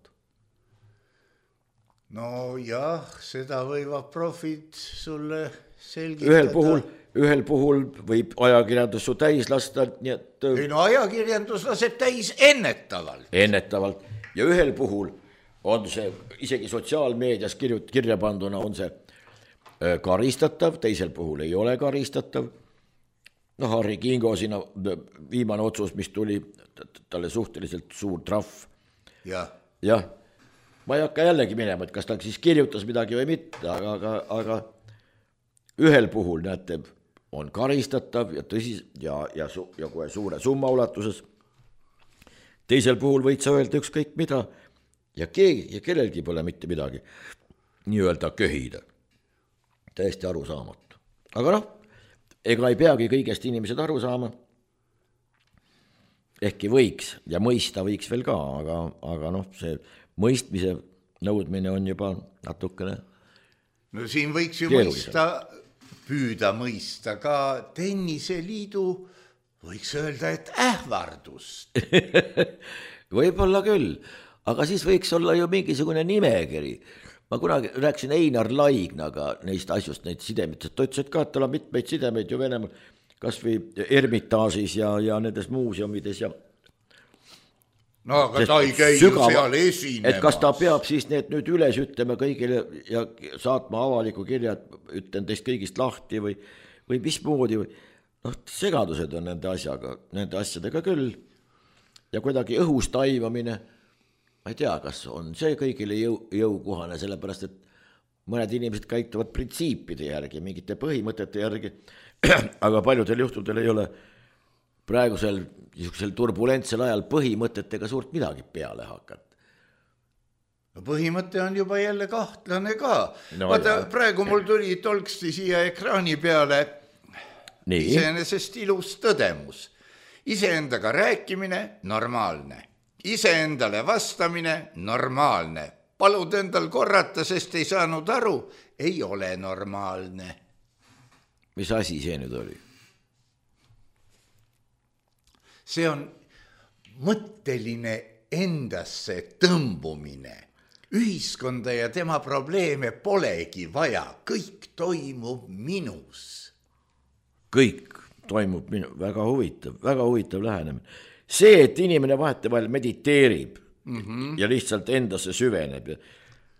No jah, seda võivad profid sulle selgitada. Ühel puhul võib ajakirjandus su täis lasta, nii et... Ei no ajakirjandus laseb täis ennetavalt. Ennetavalt. Ja ühel puhul on see, isegi sotsiaalmeedias kirja panduna on see karistatav, teisel puhul ei ole karistatav. Harri Kingo sinna viimane otsus, mis tuli, talle suhteliselt suur trahv. Jah, ma ei hakka jällegi minema, et kas ta siis kirjutas midagi või mitte, aga ühel puhul näete, on karistatav ja tõsis ja kohe suure summa ulatuses. Teisel puhul võid sa öelda ükskõik mida ja kellelgi pole mitte midagi nii-öelda köhida. Täiesti arusaamatu. Aga ega ei peagi kõigest inimesed aru saama. Ehkki võiks ja mõista võiks veel ka, aga see mõistmise nõudmine on juba natukene no siin võiks ju püüda mõista ka tenniseliidu, võiks öelda, et ähvardust. Võib-olla küll, aga siis võiks olla ju mingisugune nimekiri. Ma kunagi rääkisin Einar Laignaga neist asjust, neid sidemitest. Ta ütles, et ka, et tal on mitmeid sidemeid ju Venemaal, kas või Ermitaažis ja nendes muuseumides ja no aga ta ei käi ju seal esinemas. Et kas ta peab siis need nüüd üles ütlema kõigile ja saatma avaliku kirja, et ütlen teist kõigist lahti või mismoodi või segadused on nende asjadega küll ja kuidagi õhust taivamine, ma ei tea, kas on see kõigile jõukohane, sellepärast et mõned inimesed käituvad printsiipide järgi, mingite põhimõtete järgi, aga paljudel juhtudel ei ole praegusel niisugusel turbulentsel ajal põhimõtetega suurt midagi peale hakata. No põhimõte on juba jälle kahtlane ka. Vaata, praegu mul tuli tolksti siia ekraani peale iseenesest ilus tõdemus. Iseendaga rääkimine normaalne. Iseendale vastamine normaalne. Palud endal korrata, sest ei saanud aru, ei ole normaalne. Mis asi see nüüd oli? see on mõtteline endasse tõmbumine. Ühiskonda ja tema probleeme polegi vaja, kõik toimub minus. Kõik toimub väga huvitav lähenemine. See, et inimene vahetevahel mediteerib ja lihtsalt endasse süveneb,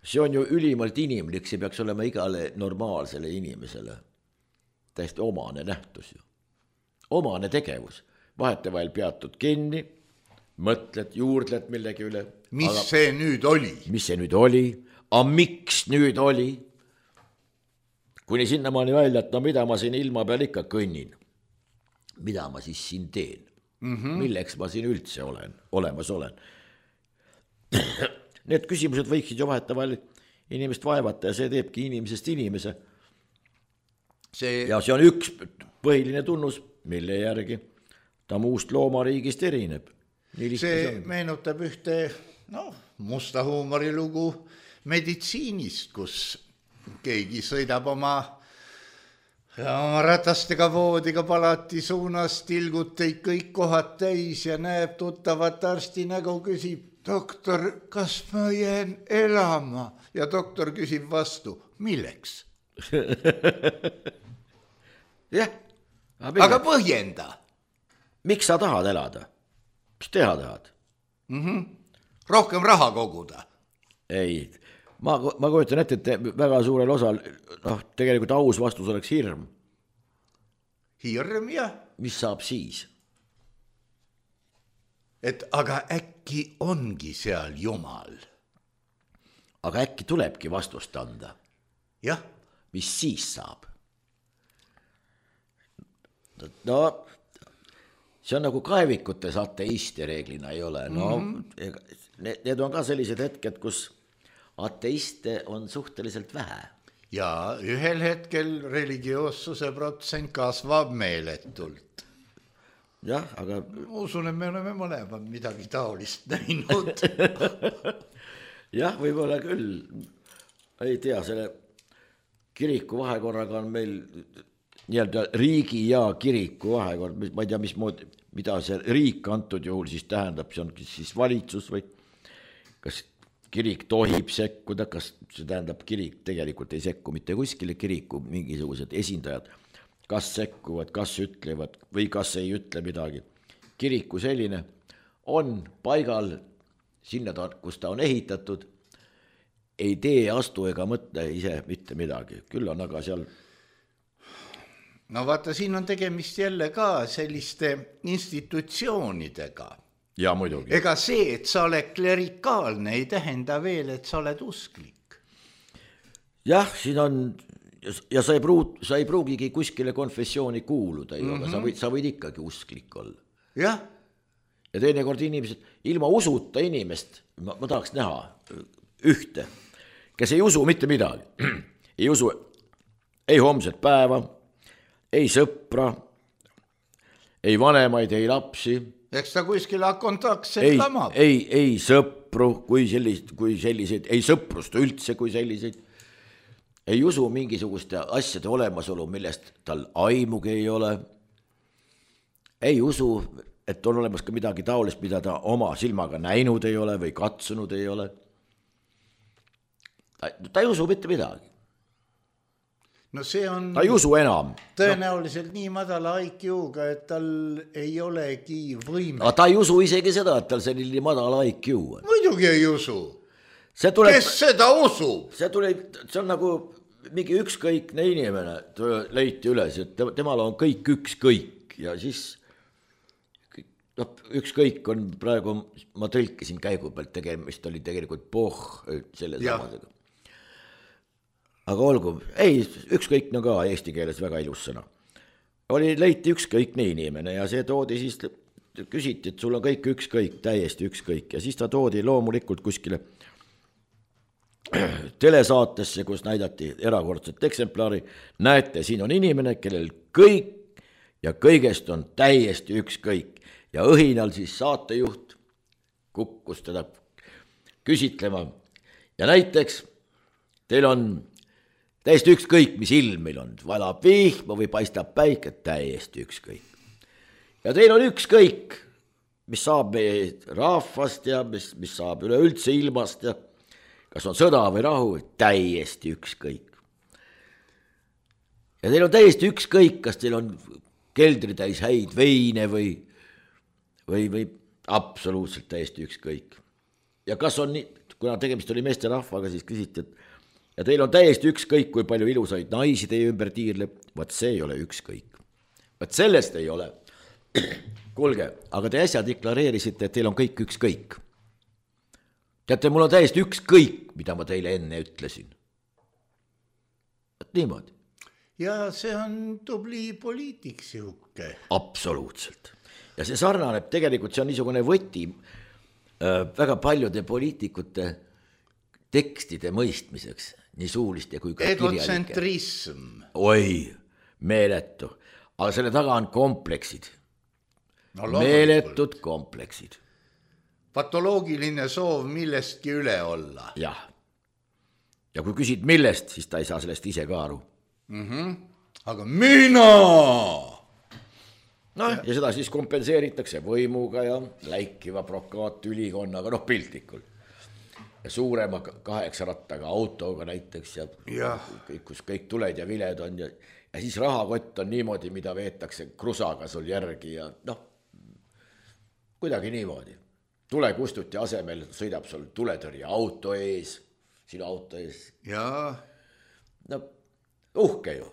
see on ju ülimalt inimlik, see peaks olema igale normaalsele inimesele täiesti omane nähtus ju. Omane tegevus. Vahetevahel peatud kinni, mõtled, juurdled millegi üle. See nüüd oli? Mis see nüüd oli? A miks nüüd oli? Kuni sinnamaani välja, et no mida ma siin ilma peal ikka kõnnin? Mida ma siis siin teen? Milleks ma siin üldse olemas olen? Need küsimused võiksid ju vahetevahel inimest vaevata ja see teebki inimesest inimese. Ja see on üks põhiline tunnus, mille järgi ta muust loomariigist erineb. See meenutab ühte musta huumorilugu meditsiinist, kus keegi sõidab oma ratastega voodiga palati suunas, tilguteid kõik kohad täis ja näeb tuttavat arsti nägu, küsib, doktor, kas ma jään elama? Ja doktor küsib vastu, milleks? Jah. Aga põhjenda. Miks sa tahad elada? Mis teha tahad? Rohkem raha koguda. Ei, ma kujutan ette, et väga suurel osal, tegelikult aus vastus oleks hirm. Hirm, jah. Mis saab siis? Et aga äkki ongi seal Jumal. Aga äkki tulebki vastust anda? Jah. Mis siis saab? No, see on nagu kaevikutes ateiste reeglina ei ole. Need on ka sellised hetked, kus ateiste on suhteliselt vähe. Ja ühel hetkel religioossuse protsent kasvab meeletult. Jah, aga... Ma usun, et me oleme mõlemad midagi taolist näinud. Jah, võib-olla küll. Ei tea, selle kiriku vahekorraga on meil... nii-öelda riigi ja kiriku vahekord, ma ei tea, mida see riik antud juhul siis tähendab, see on siis valitsus või kas kirik tohib sekkuda, kas see tähendab kirik tegelikult ei sekku mitte kuskile, kiriku mingisugused esindajad, kas sekkuvad, kas ütlevad või kas ei ütle midagi. Kiriku selline on paigal sinna, kus ta on ehitatud, ei tee, astu ega mõtle ise mitte midagi, küll on aga seal... No vaata, siin on tegemist jälle ka selliste institutsioonidega. Ja muidugi. Ega see, et sa oled klerikaalne, ei tähenda veel, et sa oled usklik. Jah, siin on, ja sa ei pruugigi kuskile konfessiooni kuuluda, aga sa võid ikkagi usklik olla. Jah. Ja teinekord inimesed, ilma usuta inimest, ma tahaks näha ühte, kes ei usu mitte midagi. Ei usu ei homset päeva, ei sõpra, ei vanemaid, ei lapsi. Eks ta kuskil kontaktselt lamab. Ei sõpru, kui selliseid, ei sõprust üldse kui selliseid. Ei usu mingisuguste asjade olemasolu, millest tal aimugi ei ole. Ei usu, et on olemas ka midagi taolist, mida ta oma silmaga näinud ei ole või katsunud ei ole. Ta ei usu mitte midagi. No see on ta ei usu enam. Tõenäoliselt nii madala IQ-ga, et tal ei olegi võime. Aga ta ei usu isegi seda, et tal selline madala IQ on. Muidugi ei usu. Kes seda usub? See on nagu mingi ükskõikne inimene leiti üles, et temal on kõik ükskõik ja siis ükskõik on praegu, ma tõlkisin käigu pealt tegemist, oli tegelikult selle samadega. Aga olgu, ei, ükskõikne ka eesti keeles väga ilus sõna. Leiti ükskõikne inimene ja see toodi siis, küsiti, et sul on kõik ükskõik, täiesti ükskõik ja siis ta toodi loomulikult kuskile telesaatesse, kus näidati erakordset eksemplari. Näete, siin on inimene, kellel kõik ja kõigest on täiesti ükskõik ja õhinal siis saatejuht kukkus teda küsitlema ja näiteks teil on täiesti ükskõik, mis ilm meil on, valab vihma või paistab päike, täiesti ükskõik. Ja teil on ükskõik, mis saab meie rahvast ja mis saab üleüldse ilmast ja kas on sõda või rahu, täiesti ükskõik. Ja teil on täiesti ükskõik, kas teil on keldri täis häid veine või absoluutselt täiesti ükskõik. Ja kas on nii, kuna tegemist oli meesterahvaga, siis küsiti, et ja teil on täiesti ükskõik, kui palju ilusaid naisi teie ümber tiirleb, vaat see ei ole ükskõik. Vaat sellest ei ole. Kuulge, aga te äsja deklareerisite, et teil on kõik ükskõik. Teate, mul on täiesti ükskõik, mida ma teile enne ütlesin. Et niimoodi. Ja see on tubli poliitik sihuke. Absoluutselt. Ja see sarnaneb, tegelikult see on niisugune võti väga paljude poliitikute tekstide mõistmiseks, nii suuliste kui ka kirjalike. Egotsentrism. Oi, meeletu. Aga selle taga on kompleksid. No, meeletud kompleksid. Patoloogiline soov millestki üle olla. Jah. Ja kui küsid millest, siis ta ei saa sellest ise ka aru. Aga mina! Ja seda siis kompenseeritakse võimuga ja läikiva brokaatülikonnaga, piltlikult. Ja suurema 8 rattaga autoga näiteks ja kus kõik tuled ja viled on ja siis rahakott on niimoodi, mida veetakse krusaga sul järgi ja kuidagi niimoodi. Tulekustuti asemel sõidab sul tuletõrje auto ees, sinu auto ees. Jaa. Uhke ju.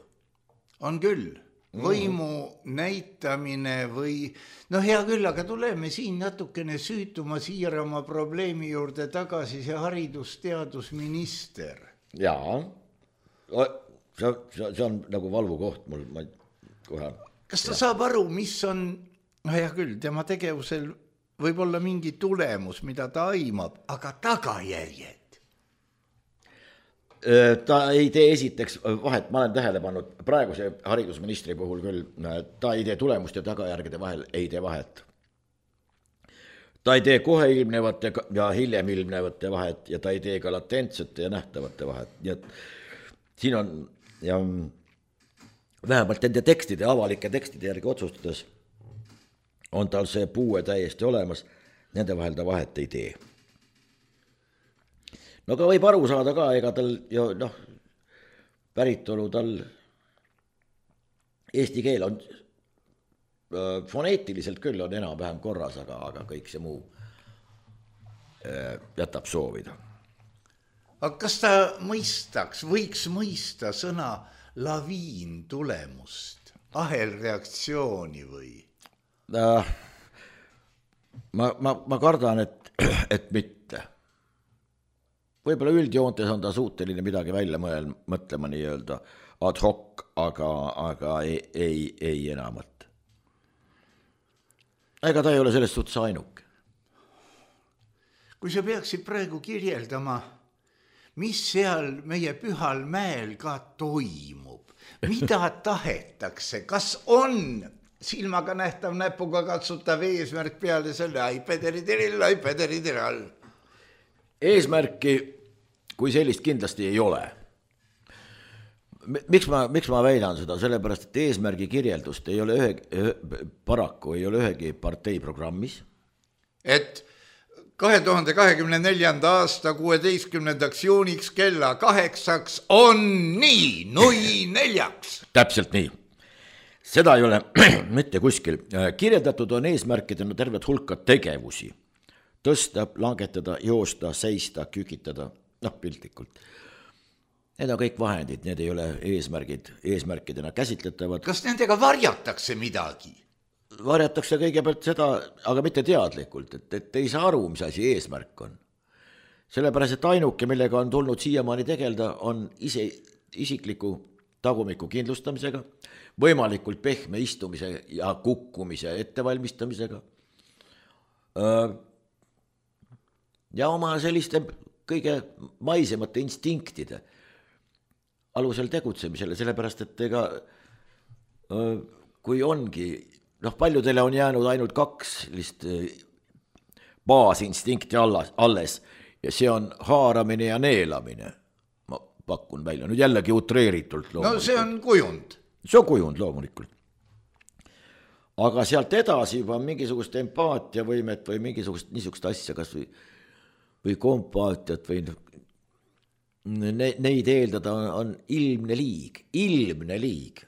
On küll. Võimu näitamine või... hea küll, aga tuleme siin natukene süütuma siirama probleemi juurde tagasi see haridusteadusminister. Jaa. See on nagu valvukoht mul. Kohe. Kas ta saab aru, mis on... hea küll, tema tegevusel võib olla mingi tulemus, mida ta aimab, aga tagajärjed. Ta ei tee esiteks vahet, ma olen tähele pannud praeguse haridusministri puhul küll, ta ei tee tulemuste tagajärgede vahel, ei tee vahet. Ta ei tee kohe ilmnevate ja hiljem ilmnevate vahet ja ta ei tee ka latentsete ja nähtavate vahet. Nii et siin on ja vähemalt nende tekstide, avalike tekstide järgi otsustades on tal see puue täiesti olemas, nende vahel ta vahet ei tee. No aga võib aru saada ka, ega tal päritolu tal eesti keel on foneetiliselt küll on enam-vähem korras, aga kõik see muu jätab soovida. Aga kas ta võiks mõista sõna laviin tulemust, ahelreaktsiooni või? Ma kardan, et mitte. Võib-olla üldjoontes on ta suuteline midagi välja mõtlema nii-öelda ad hoc, aga ei enamat. Ega ta ei ole sellest suhtes ainuke. Kui sa peaksid praegu kirjeldama, mis seal meie Pühal mäel ka toimub, mida tahetakse, kas on silmaga nähtav näpuga katsutav eesmärk peale selle ai pederidiril. Eesmärki kui sellist kindlasti ei ole. Miks ma väidan seda? Sellepärast, et eesmärgi kirjeldust ei ole paraku ei ole ühegi partei programmis. Et 2024. aasta 16. juuniks kella 8 on nii, nui 4. Täpselt nii. Seda ei ole mitte kuskil. Kirjeldatud on eesmärkidena tervet hulka tegevusi. Tõsta, langetada, joosta, seista, kükitada, piltlikult. Need on kõik vahendid, need ei ole eesmärkidena käsitletavad. Kas nendega varjatakse midagi? Varjatakse kõigepealt seda, aga mitte teadlikult, et ei saa aru, mis asi eesmärk on. Sellepärast, et ainuke, millega on tulnud siiamaani tegelda, on isikliku tagumiku kindlustamisega, võimalikult pehme istumise ja kukkumise ettevalmistamisega ja oma selliste kõige maisemate instinktide alusel tegutsemisele, sellepärast, et ega kui ongi, paljudele on jäänud ainult 2 baasinstinkti alles ja see on haaramine ja neelamine. Ma pakun välja, nüüd jällegi utreeritult loomulikult. No see on kujund. See on kujund loomulikult. aga sealt edasi juba mingisugust empaatiavõimet või mingisugust niisugust asja kas või kompaatiat või neid eeldada on ilmne liig.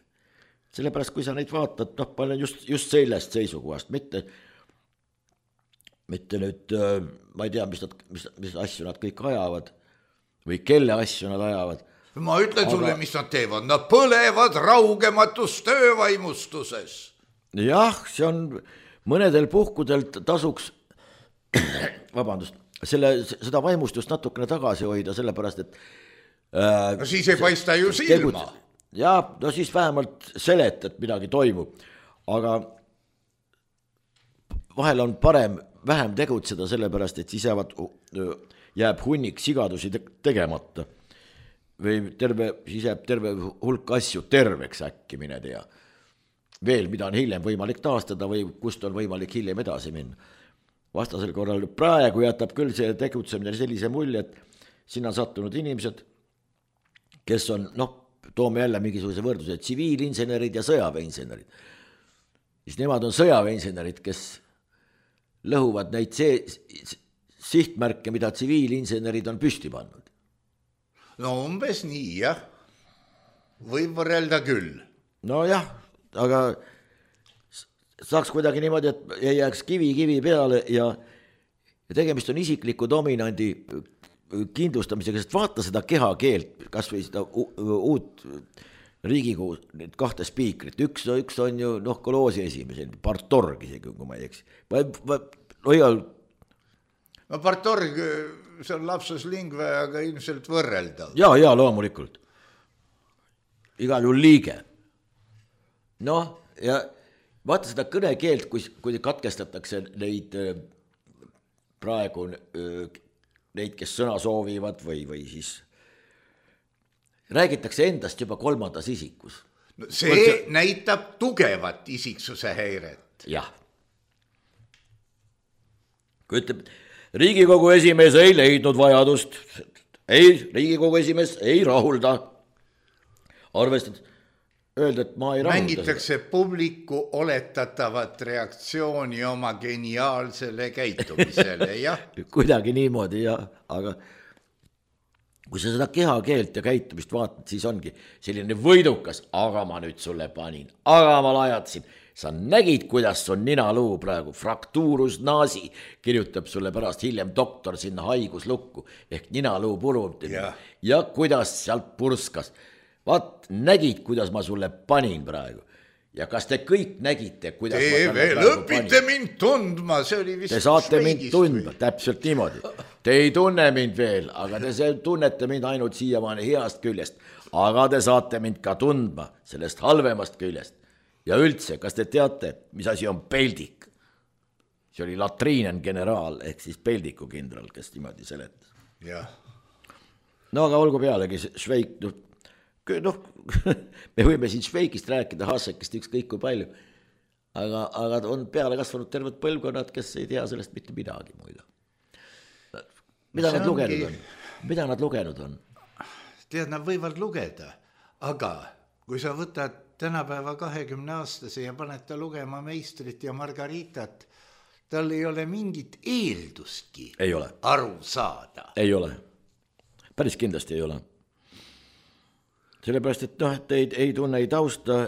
Sellepärast, kui sa neid vaatad, ma olen just sellest seisukohast, mitte nüüd, ma ei tea, mis asju nad kõik ajavad või kelle asju nad ajavad. Ma ütlen sulle, mis nad teevad, nad põlevad raugematus töövaimustuses. Jah, see on mõnedel puhkudel tasuks, seda vaimustust natukene tagasi hoida, sellepärast, et no siis ei paista ju silma. Ja, no siis vähemalt seletad, midagi toimub, aga vahel on parem vähem tegutseda, sellepärast, et siis jääb hunnik sigadusi tegemata või siis jääb terve hulk asju terveks äkki, mine tea. Veel, mida on hiljem võimalik taastada või kust on võimalik hiljem edasi minna. Vastasel korral praegu jätab küll see tegutsemine sellise mulje, et sinna sattunud inimesed, kes on, toome jälle mingisuguse võrdluse, tsiviilinsenerid ja sõjaväeinsenerid. Siis nemad on sõjaväeinsenerid, kes lõhuvad neid sihtmärke, mida tsiviilinsenerid on püsti pannud. No umbes nii, jah. Võib võrrelda küll. No jah, aga saaks kuidagi niimoodi, et ei jääks kivi peale ja tegemist on isikliku dominandi kindlustamisega, sest vaata seda kehakeelt, kas või seda uut Riigikogu, need 2 spiikrit, üks on ju Koloosi esimees, Partorg isegi, kui ma ei eks. No Partorg, see on lapsus lingve, aga ilmselt võrreldav. Ja, loomulikult. Igal juhul liige. Ja vaata seda kõnekeelt, kui katkestatakse neid praegu neid, kes sõna soovivad või siis räägitakse endast juba 3. isikus. No see näitab tugevat isiksuse häiret. Jah. Kui ütleb, Riigikogu esimees ei leidnud vajadust, Riigikogu esimees ei rahulda. Arvestad, öelda, et ma ei rahulda. Mängitakse publiku oletatavat reaktsiooni oma geniaalsele käitumisele, jah. Kuidagi niimoodi, jah, aga kui sa seda kehakeelt ja käitumist vaatad, siis ongi selline võidukas, aga ma nüüd sulle panin, aga ma lajatasin. Sa nägid, kuidas on ninaluu praegu, fraktuurus naasi, kirjutab sulle pärast hiljem doktor sinna haiguslukku, ehk ninaluu purumine ja kuidas sealt purskas. Vaat, nägid, kuidas ma sulle panin praegu. Ja kas te kõik nägite, kuidas te ma veel õpite mind tundma, see oli vist te saate mind tundma, täpselt niimoodi. Te ei tunne mind veel, aga te tunnete mind ainult siiamaani heast küljest, aga te saate mind ka tundma sellest halvemast küljest. Ja üldse, kas te teate, mis asi on peldik? See oli latriinen generaal, ehk siis peldiku kindral, kes niimoodi seletas. Jah. No aga olgu pealegi, Šveik, me võime siin Šveikist rääkida, Hasekist ükskõik kui palju, aga on peale kasvanud terved põlvkonnad, kes ei tea sellest mitte midagi muida. Mida nad lugenud on? Tead, nad võivad lugeda, aga kui sa võtad tänapäeva 20-aastase ja paned ta lugema Meistrit ja Margaritat, tal ei ole mingit eeldustki aru saada. Ei ole. Päris kindlasti ei ole. Sellepärast, et ei tunne, ei tausta,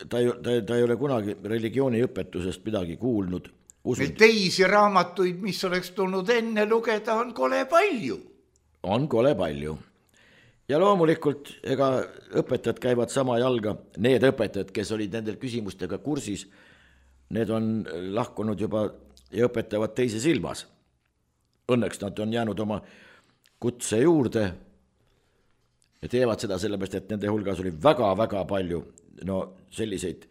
ta ei ole kunagi religiooniõpetusest midagi kuulnud. Need teisi raamatuid, mis oleks tulnud enne lugeda, on kole palju. On kole palju. Ja loomulikult, ega õpetajad käivad sama jalga, need õpetajad, kes olid nendel küsimustega kursis, need on lahkunud juba ja õpetavad teises ilmas. Õnneks nad on jäänud oma kutse juurde ja teevad seda sellepärast, et nende hulgas oli väga-väga palju selliseid,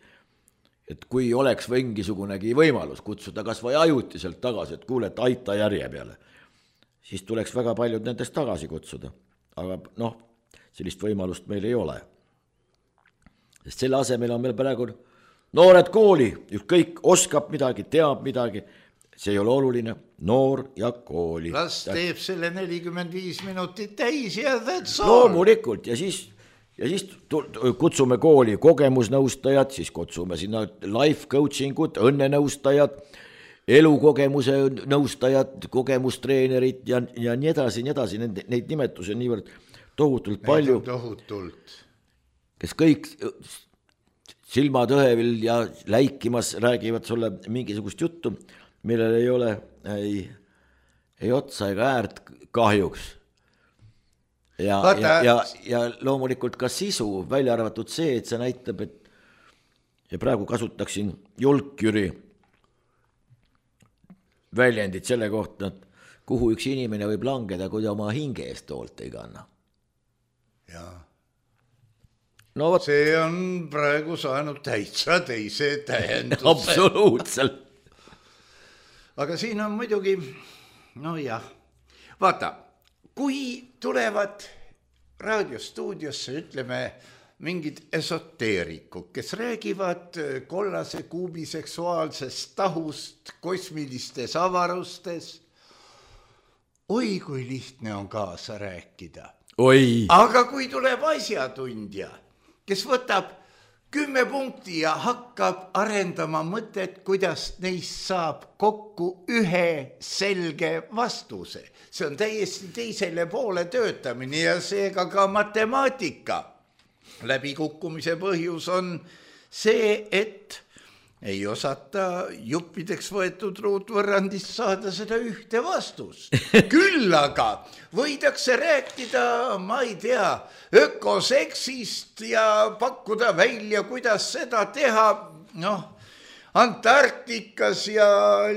et kui oleks mingisugunegi võimalus kutsuda kas või ajutiselt tagasi, et kuule, et aita järje peale, siis tuleks väga paljud nendest tagasi kutsuda. Aga sellist võimalust meil ei ole. Sest selle asemel on meil praegu noored kooli, kõik oskab midagi, teab midagi, see ei ole oluline, noor ja kooli. Las teeb selle 45 minutit täis ja that's all. Loomulikult ja siis ja siis kutsume kooli kogemusnõustajad, siis kutsume sinna life coaching ut, õnnenõustajad, elukogemuse nõustajad, kogemustreenerid ja nii edasi, neid nimetusi on niivõrd tohutult palju, kes kõik silmad õhevil ja läikimas räägivad sulle mingisugust juttu, millel ei ole ei otsa ega äärt kahjuks. Ja loomulikult ka sisu, välja arvatud see, et see näitab, et ja praegu kasutaksin Julkjüri väljendid selle kohta, et kuhu üks inimene võib langeda, kui ta oma hinge eest hoolt ei kanna. Jaa. No, see on praegu saanud täitsa teise tähenduse. Absoluutselt. Aga siin on muidugi, no jah, vaata, kui tulevad raadiostuudiosse, ütleme, mingid esoteerikud, kes räägivad kollase kuubi seksuaalsest tahust kosmilistes avarustes, oi kui lihtne on kaasa rääkida. Oi. Aga kui tuleb asjatundja, kes võtab 10 punkti ja hakkab arendama mõtet, kuidas neist saab kokku ühe selge vastuse. See on täiesti teisele poole töötamine ja seega ka matemaatika. Läbikukkumise põhjus on see, et ei osata juppideks võetud ruutvõrrandist saada seda ühte vastust. Küll aga võidakse rääkida, ma ei tea, ökoseksist ja pakkuda välja, kuidas seda teha, Antarktikas ja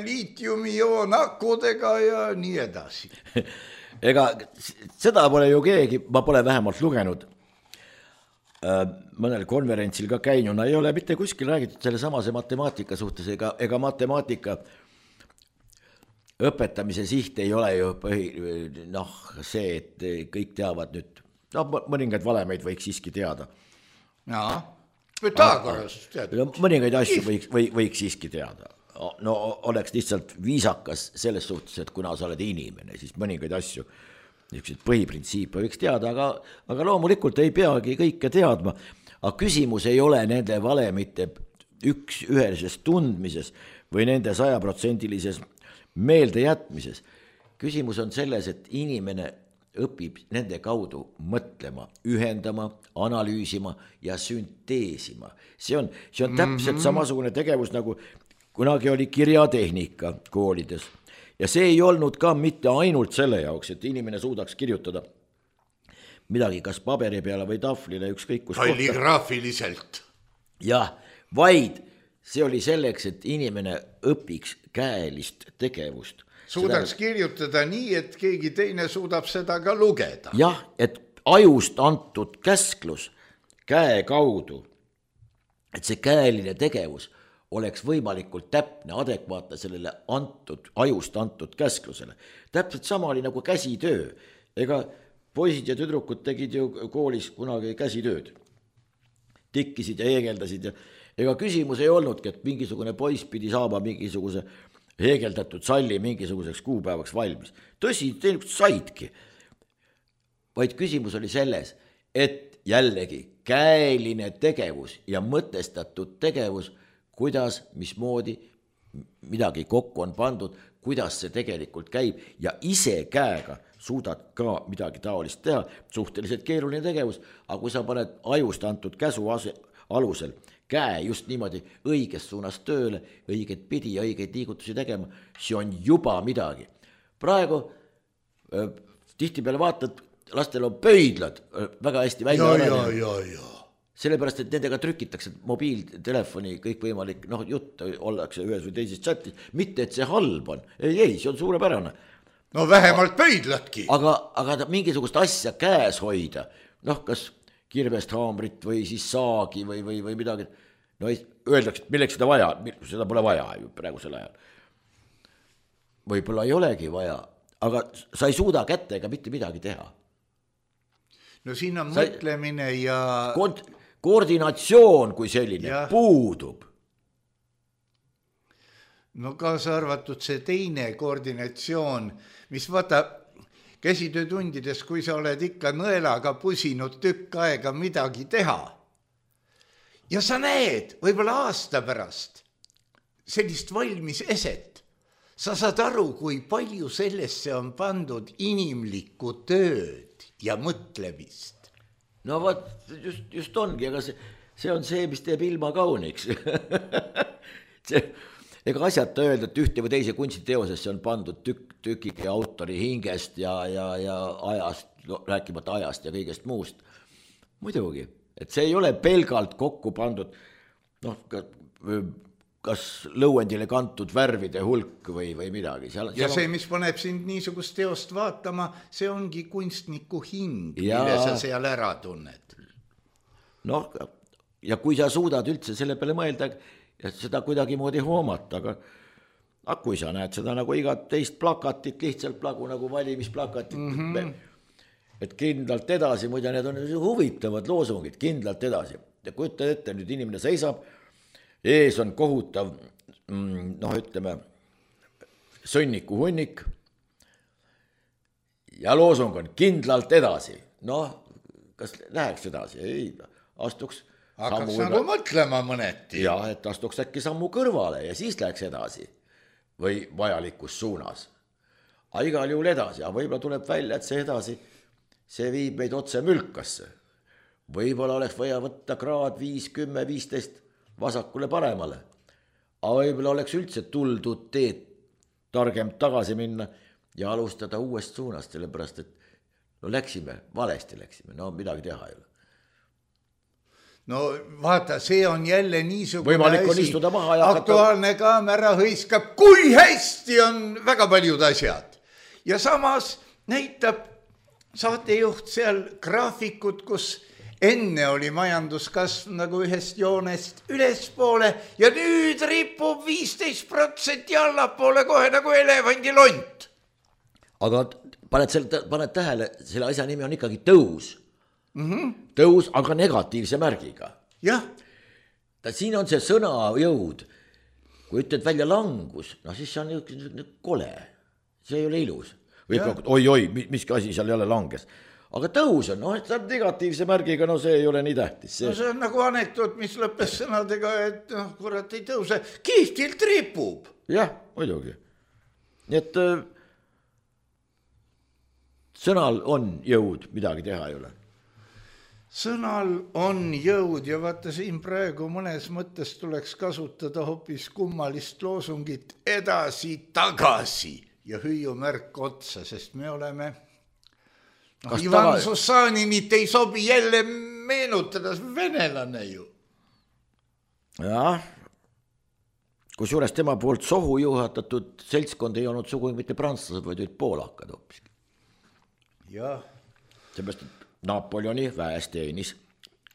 liitiumioonakudega ja nii edasi. Ega seda pole ju keegi, ma pole vähemalt lugenud. Mõnel konverentsil ka käinuna ei ole mitte kuskil räägitud selle samase matemaatika suhtes ega matemaatika õpetamise siht ei ole ju see, et kõik teavad nüüd, mõningaid valemeid võiks siiski teada. Mõningaid asju võiks siiski teada. No oleks lihtsalt viisakas selles suhtes, et kuna sa oled inimene, siis mõningaid asju niisugused põhiprintsiipe võiks teada, aga loomulikult ei peagi kõike teadma. Aga küsimus ei ole nende valemite ühelises tundmises või nende 100% meelde jätmises. Küsimus on selles, et inimene õpib nende kaudu mõtlema, ühendama, analüüsima ja sünteesima. See on täpselt samasugune tegevus, nagu kunagi oli kirjatehnika koolides. Ja see ei olnud ka mitte ainult selle jaoks, et inimene suudaks kirjutada midagi kas paberi peale või tahvlile ükskõik kus kalligraafiliselt. Jah, vaid see oli selleks, et inimene õpiks käelist tegevust. Suudaks kirjutada nii, et keegi teine suudab seda ka lugeda. Jah, et ajust antud käsklus käe kaudu, et see käeline tegevus oleks võimalikult täpne, adekvaatne sellele ajust antud käsklusele. Täpselt sama oli nagu käsitöö. Ega poisid ja tüdrukud tegid ju koolis kunagi käsitööd. Tikkisid ja heegeldasid. Ega küsimus ei olnudki, et mingisugune poiss pidi saama mingisuguse heegeldatud salli mingisuguseks kuupäevaks valmis. Tõsi, tegelikult saidki. Vaid küsimus oli selles, et jällegi käeline tegevus ja mõtestatud tegevus, kuidas, mismoodi midagi kokku on pandud, kuidas see tegelikult käib ja ise käega suudad ka midagi taolist teha, suhteliselt keeruline tegevus, aga kui sa paned ajust antud käsu alusel käe just niimoodi õiges suunas tööle, õiget pidi ja õigeid liigutusi tegema, see on juba midagi. Praegu tihtipeale vaatad, lastel on pöidlad väga hästi välja arenenud. Sellepärast, et nendega trükitakse mobiiltelefoni kõikvõimalik, jutt ollakse ühes või teises chatis, mitte et see halb on, ei, see on suurepärane. No vähemalt pöidladki. Aga mingisugust asja käes hoida, kas kirvest haamrit või siis saagi või midagi, öeldakse, et milleks seda vaja, seda pole vaja ju praegusel ajal. Võib-olla ei olegi vaja, aga sa ei suuda kättega mitte midagi teha. No siin on mõtlemine ja koordinatsioon kui selline puudub. No kaasa arvatud see teine koordinatsioon, mis vaata, käsitöötundides, kui sa oled ikka nõelaga pusinud tükk aega midagi teha ja sa näed võib-olla aasta pärast sellist valmis eset, sa saad aru, kui palju sellesse on pandud inimlikku tööd ja mõtlemist. No vot, just ongi, aga see on see, mis teeb ilma kauniks. Ega asjata öelda, et ühte või teise kunstiteosesse on pandud tükiki autori hingest ja ajast, rääkimata ajast ja kõigest muust. Muidugi, et see ei ole pelgalt kokku pandud, kas lõuendile kantud värvide hulk või midagi. Ja see, mis paneb sind niisugust teost vaatama, see ongi kunstniku hing, mille sa seal ära tunned. Noh, ja kui sa suudad üldse selle peale mõelda, ja seda kuidagi moodi hoomata, aga kui sa näed seda nagu igat teist plakatit, lihtsalt nagu valimisplakatit, et kindlalt edasi, muide need on huvitavad loosungid, kindlalt edasi. Ja kujutad ette, nüüd inimene seisab, ees on kohutav, ütleme, sõnniku hunnik ja loosung on kindlalt edasi. Kas läheks edasi? Ei, astuks hakkaks nagu mõtlema mõneti. Ja, et astuks äkki sammu kõrvale ja siis läheks edasi või vajalikus suunas. Aga igal juhul edasi, aga võib-olla tuleb välja, et see edasi, see viib meid otse mülkasse. Võib-olla oleks vaja võtta kraad 5, 10, 15 vasakule paremale. Aga võib-olla oleks üldse tuldud teed targem tagasi minna ja alustada uuest suunast, sellepärast, et valesti läksime, midagi teha ei ole. No vaata, see on jälle niisugune võimalik on istuda maha ja aktuaalne kaamera hõiskab, kui hästi on väga paljud asjad. Ja samas näitab saatejuht seal graafikut, kus enne oli majanduskasv nagu ühest joonest ülespoole ja nüüd ripub 15% allapoole kohe nagu elevandilont. Aga paned tähele, selle asja nimi on ikkagi tõus. Tõus, aga negatiivse märgiga. Jah. Siin on see sõna jõud. Kui ütled välja langus, siis see on kole. See ei ole ilus. Oi, miski asi seal jälle langes. Aga tõus on, see on negatiivse märgiga, see ei ole nii tähtis. See on nagu anekdoot, mis lõppes sõnadega, et kurat ei tõuse, kihvtilt ripub. Jah, muidugi. Nii et sõnal on jõud, midagi teha ei ole. Sõnal on jõud ja vaata siin praegu mõnes mõttes tuleks kasutada hoopis kummalist loosungit edasi-tagasi ja hüüumärk otsa, sest me oleme Ivan Sussaninit ei sobi jälle meenutada, venelane ju. Jah, kusjuures tema poolt sohu juhatatud seltskond ei olnud sugu mitte prantslased, vaid olid poolakad hoopis. Jah. Seepärast, et Napoleoni väes teenis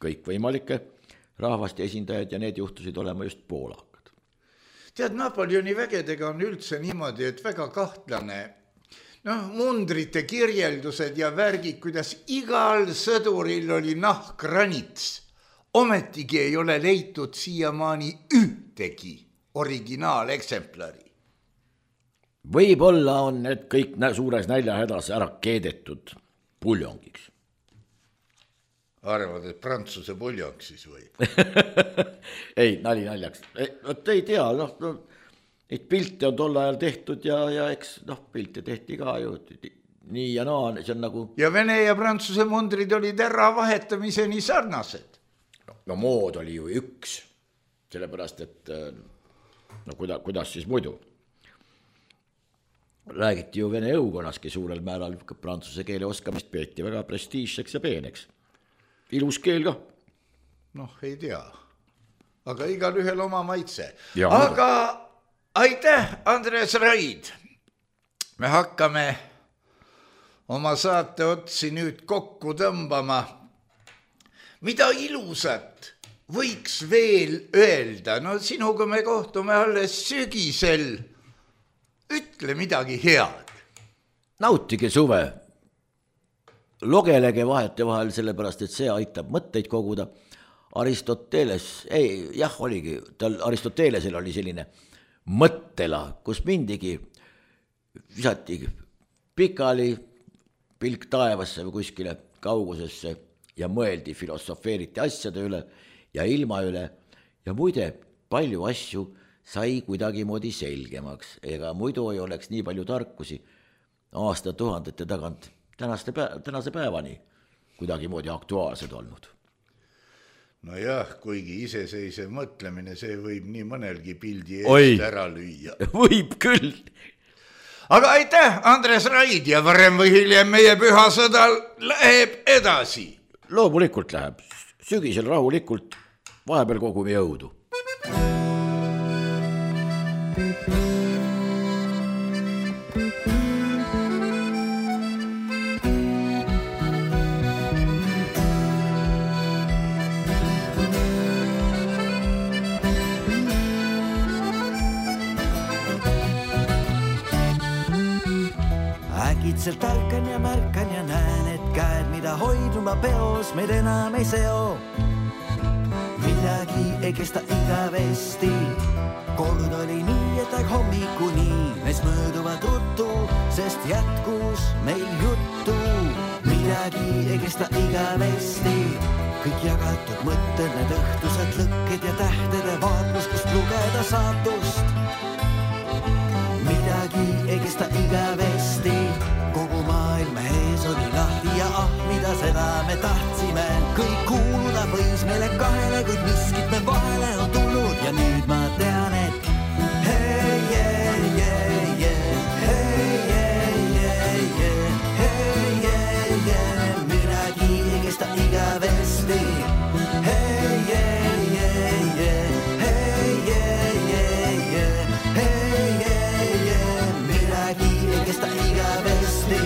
kõikvõimalikke rahvaste esindajad ja need juhtusid olema just poolakad. Tead, Napoleoni vägedega on üldse niimoodi, et väga kahtlane mundrite kirjeldused ja värgid, kuidas igal sõduril oli nahkranits. Ometigi ei ole leitud siiamaani ühtegi originaaleksemplari. Võib-olla on need kõik suures näljahädas ära keedetud puljongiks. Arvad, et prantsuse puljong siis või? Ei, naljaks. Ei tea, neid pilte on tol ajal tehtud ja eks pilte tehti ka ju nii ja naa, see on nagu... Ja Vene ja Prantsuse mundrid olid ära vahetamiseni sarnased. No mood oli ju üks, sellepärast, et kuidas siis muidu? Räägiti ju Vene õukonnaski suurel määral prantsuse keele oskamist peeti väga prestiižseks ja peeneks. Ilus keel ka. Ei tea, aga igal ühel oma maitse. Aga aitäh, Andres Raid. Me hakkame oma saate otsi nüüd kokku tõmbama. Mida ilusat võiks veel öelda? Sinuga me kohtume alles sügisel. Ütle midagi head. Nautige suve. Logelege vahete vahel, sellepärast, et see aitab mõtteid koguda. Aristotelesel oli selline mõttela, kus mindigi visati pikali, pilk taevasse või kuskile kaugusesse ja mõeldi, filosofeeriti asjade üle ja ilma üle ja muide palju asju sai kuidagimoodi selgemaks, ega muidu ei oleks nii palju tarkusi aastatuhandete tagant tänase päevani kuidagimoodi aktuaalsed olnud. Nojah, kuigi iseseisev mõtlemine, see võib nii mõnelgi pildi eest ära lüüa. Võib küll. Aga aitäh, Andres Raid ja varem või hiljem meie pühasõda läheb edasi. Loomulikult läheb, sügisel rahulikult, vahepeal kogume jõudu. Äkitselt ärkan ja märkan ja näen, et käed, mida hoiduma peos, meid enam ei seo. Midagi ei kesta igavesti, kord oli nii, et aeg hommikuni neis mööduvad ruttu, sest jätkus meil juttu. Midagi ei kesta igavesti, kõik jagatud mõtted, need õhtused lõkked ja tähtede vaatlus, kust lugeda saatust. Midagi ei kesta igavesti, kogu maailm ees oli lahti ja mida seda me tahtsime. Kõik kuuluda võis meile kahele, kuid miskit me vahele on tulnud ja nüüd ma tean, et hei, hei, hei, hei, hei, hei, hei, hei, hei, midagi ei kesta igavesti. Hei, hei, hei, hei, hei, hei, hei, hei, midagi ei kesta igavesti.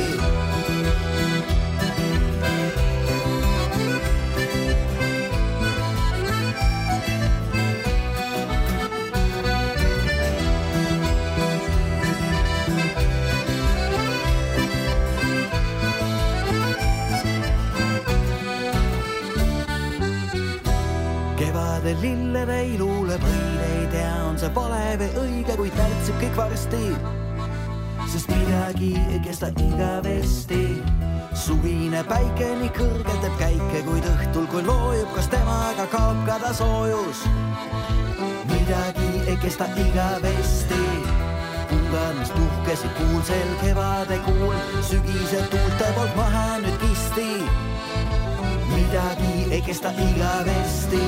Kevade lillede ei luule võid, ei tea, on see vale või õige, kuid märtsib kõik varsti, sest midagi ei kesta igavesti. Suvine päike nii kõrge teeb käike, kuid õhtul kui loojub, kas temaga kaob ka ta soojus. Midagi ei kesta igavesti, pungad, mis puhkesid kuulsel kevade kuul, sügise tuulte poolt maha nüüd kisti. Midagi ei kesta igavesti,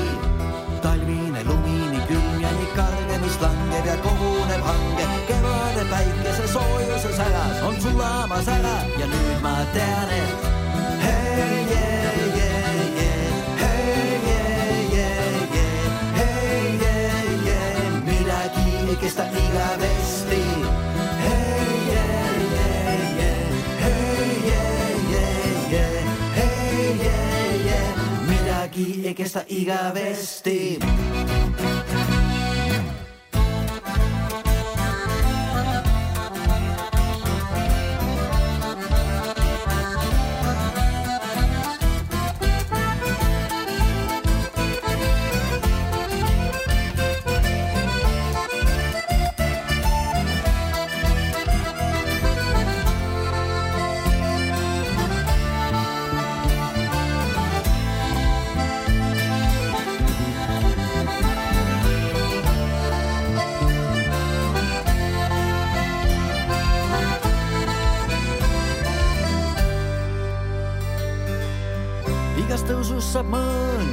talvine lumini külm ja nii karge, mis langeb ja koguneb hange. Kevade päikese soojuse säras on sulamas ära ja nüüd ma tean, et hei, hei, hei, hei, hei, hei, hei, hei, hei, midagi ei kesta igavesti. Hei, hei, hei, hei, hei, hei, hei, midagi ei kesta igavesti. Igast tõusust saab mõõn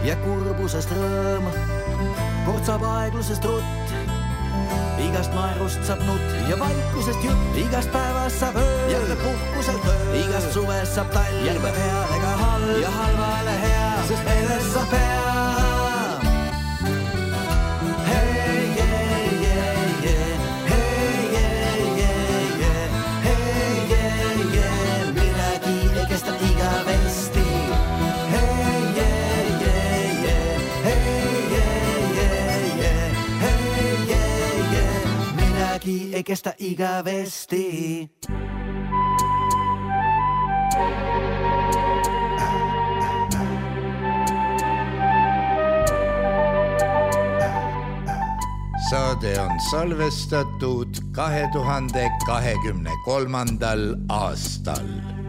ja kurbusest rõõm, kord saab aeglusest rutt, igast naerust saab nutt ja vaikusest jutt, igast päevast saab öö ja puhkuselt öö, igast suvest saab talv, järve heale ka halb ja halvale hea, sest meelest saab hea. Ei kestä igavesti. Saade saade on salvestatud 2023. aastal.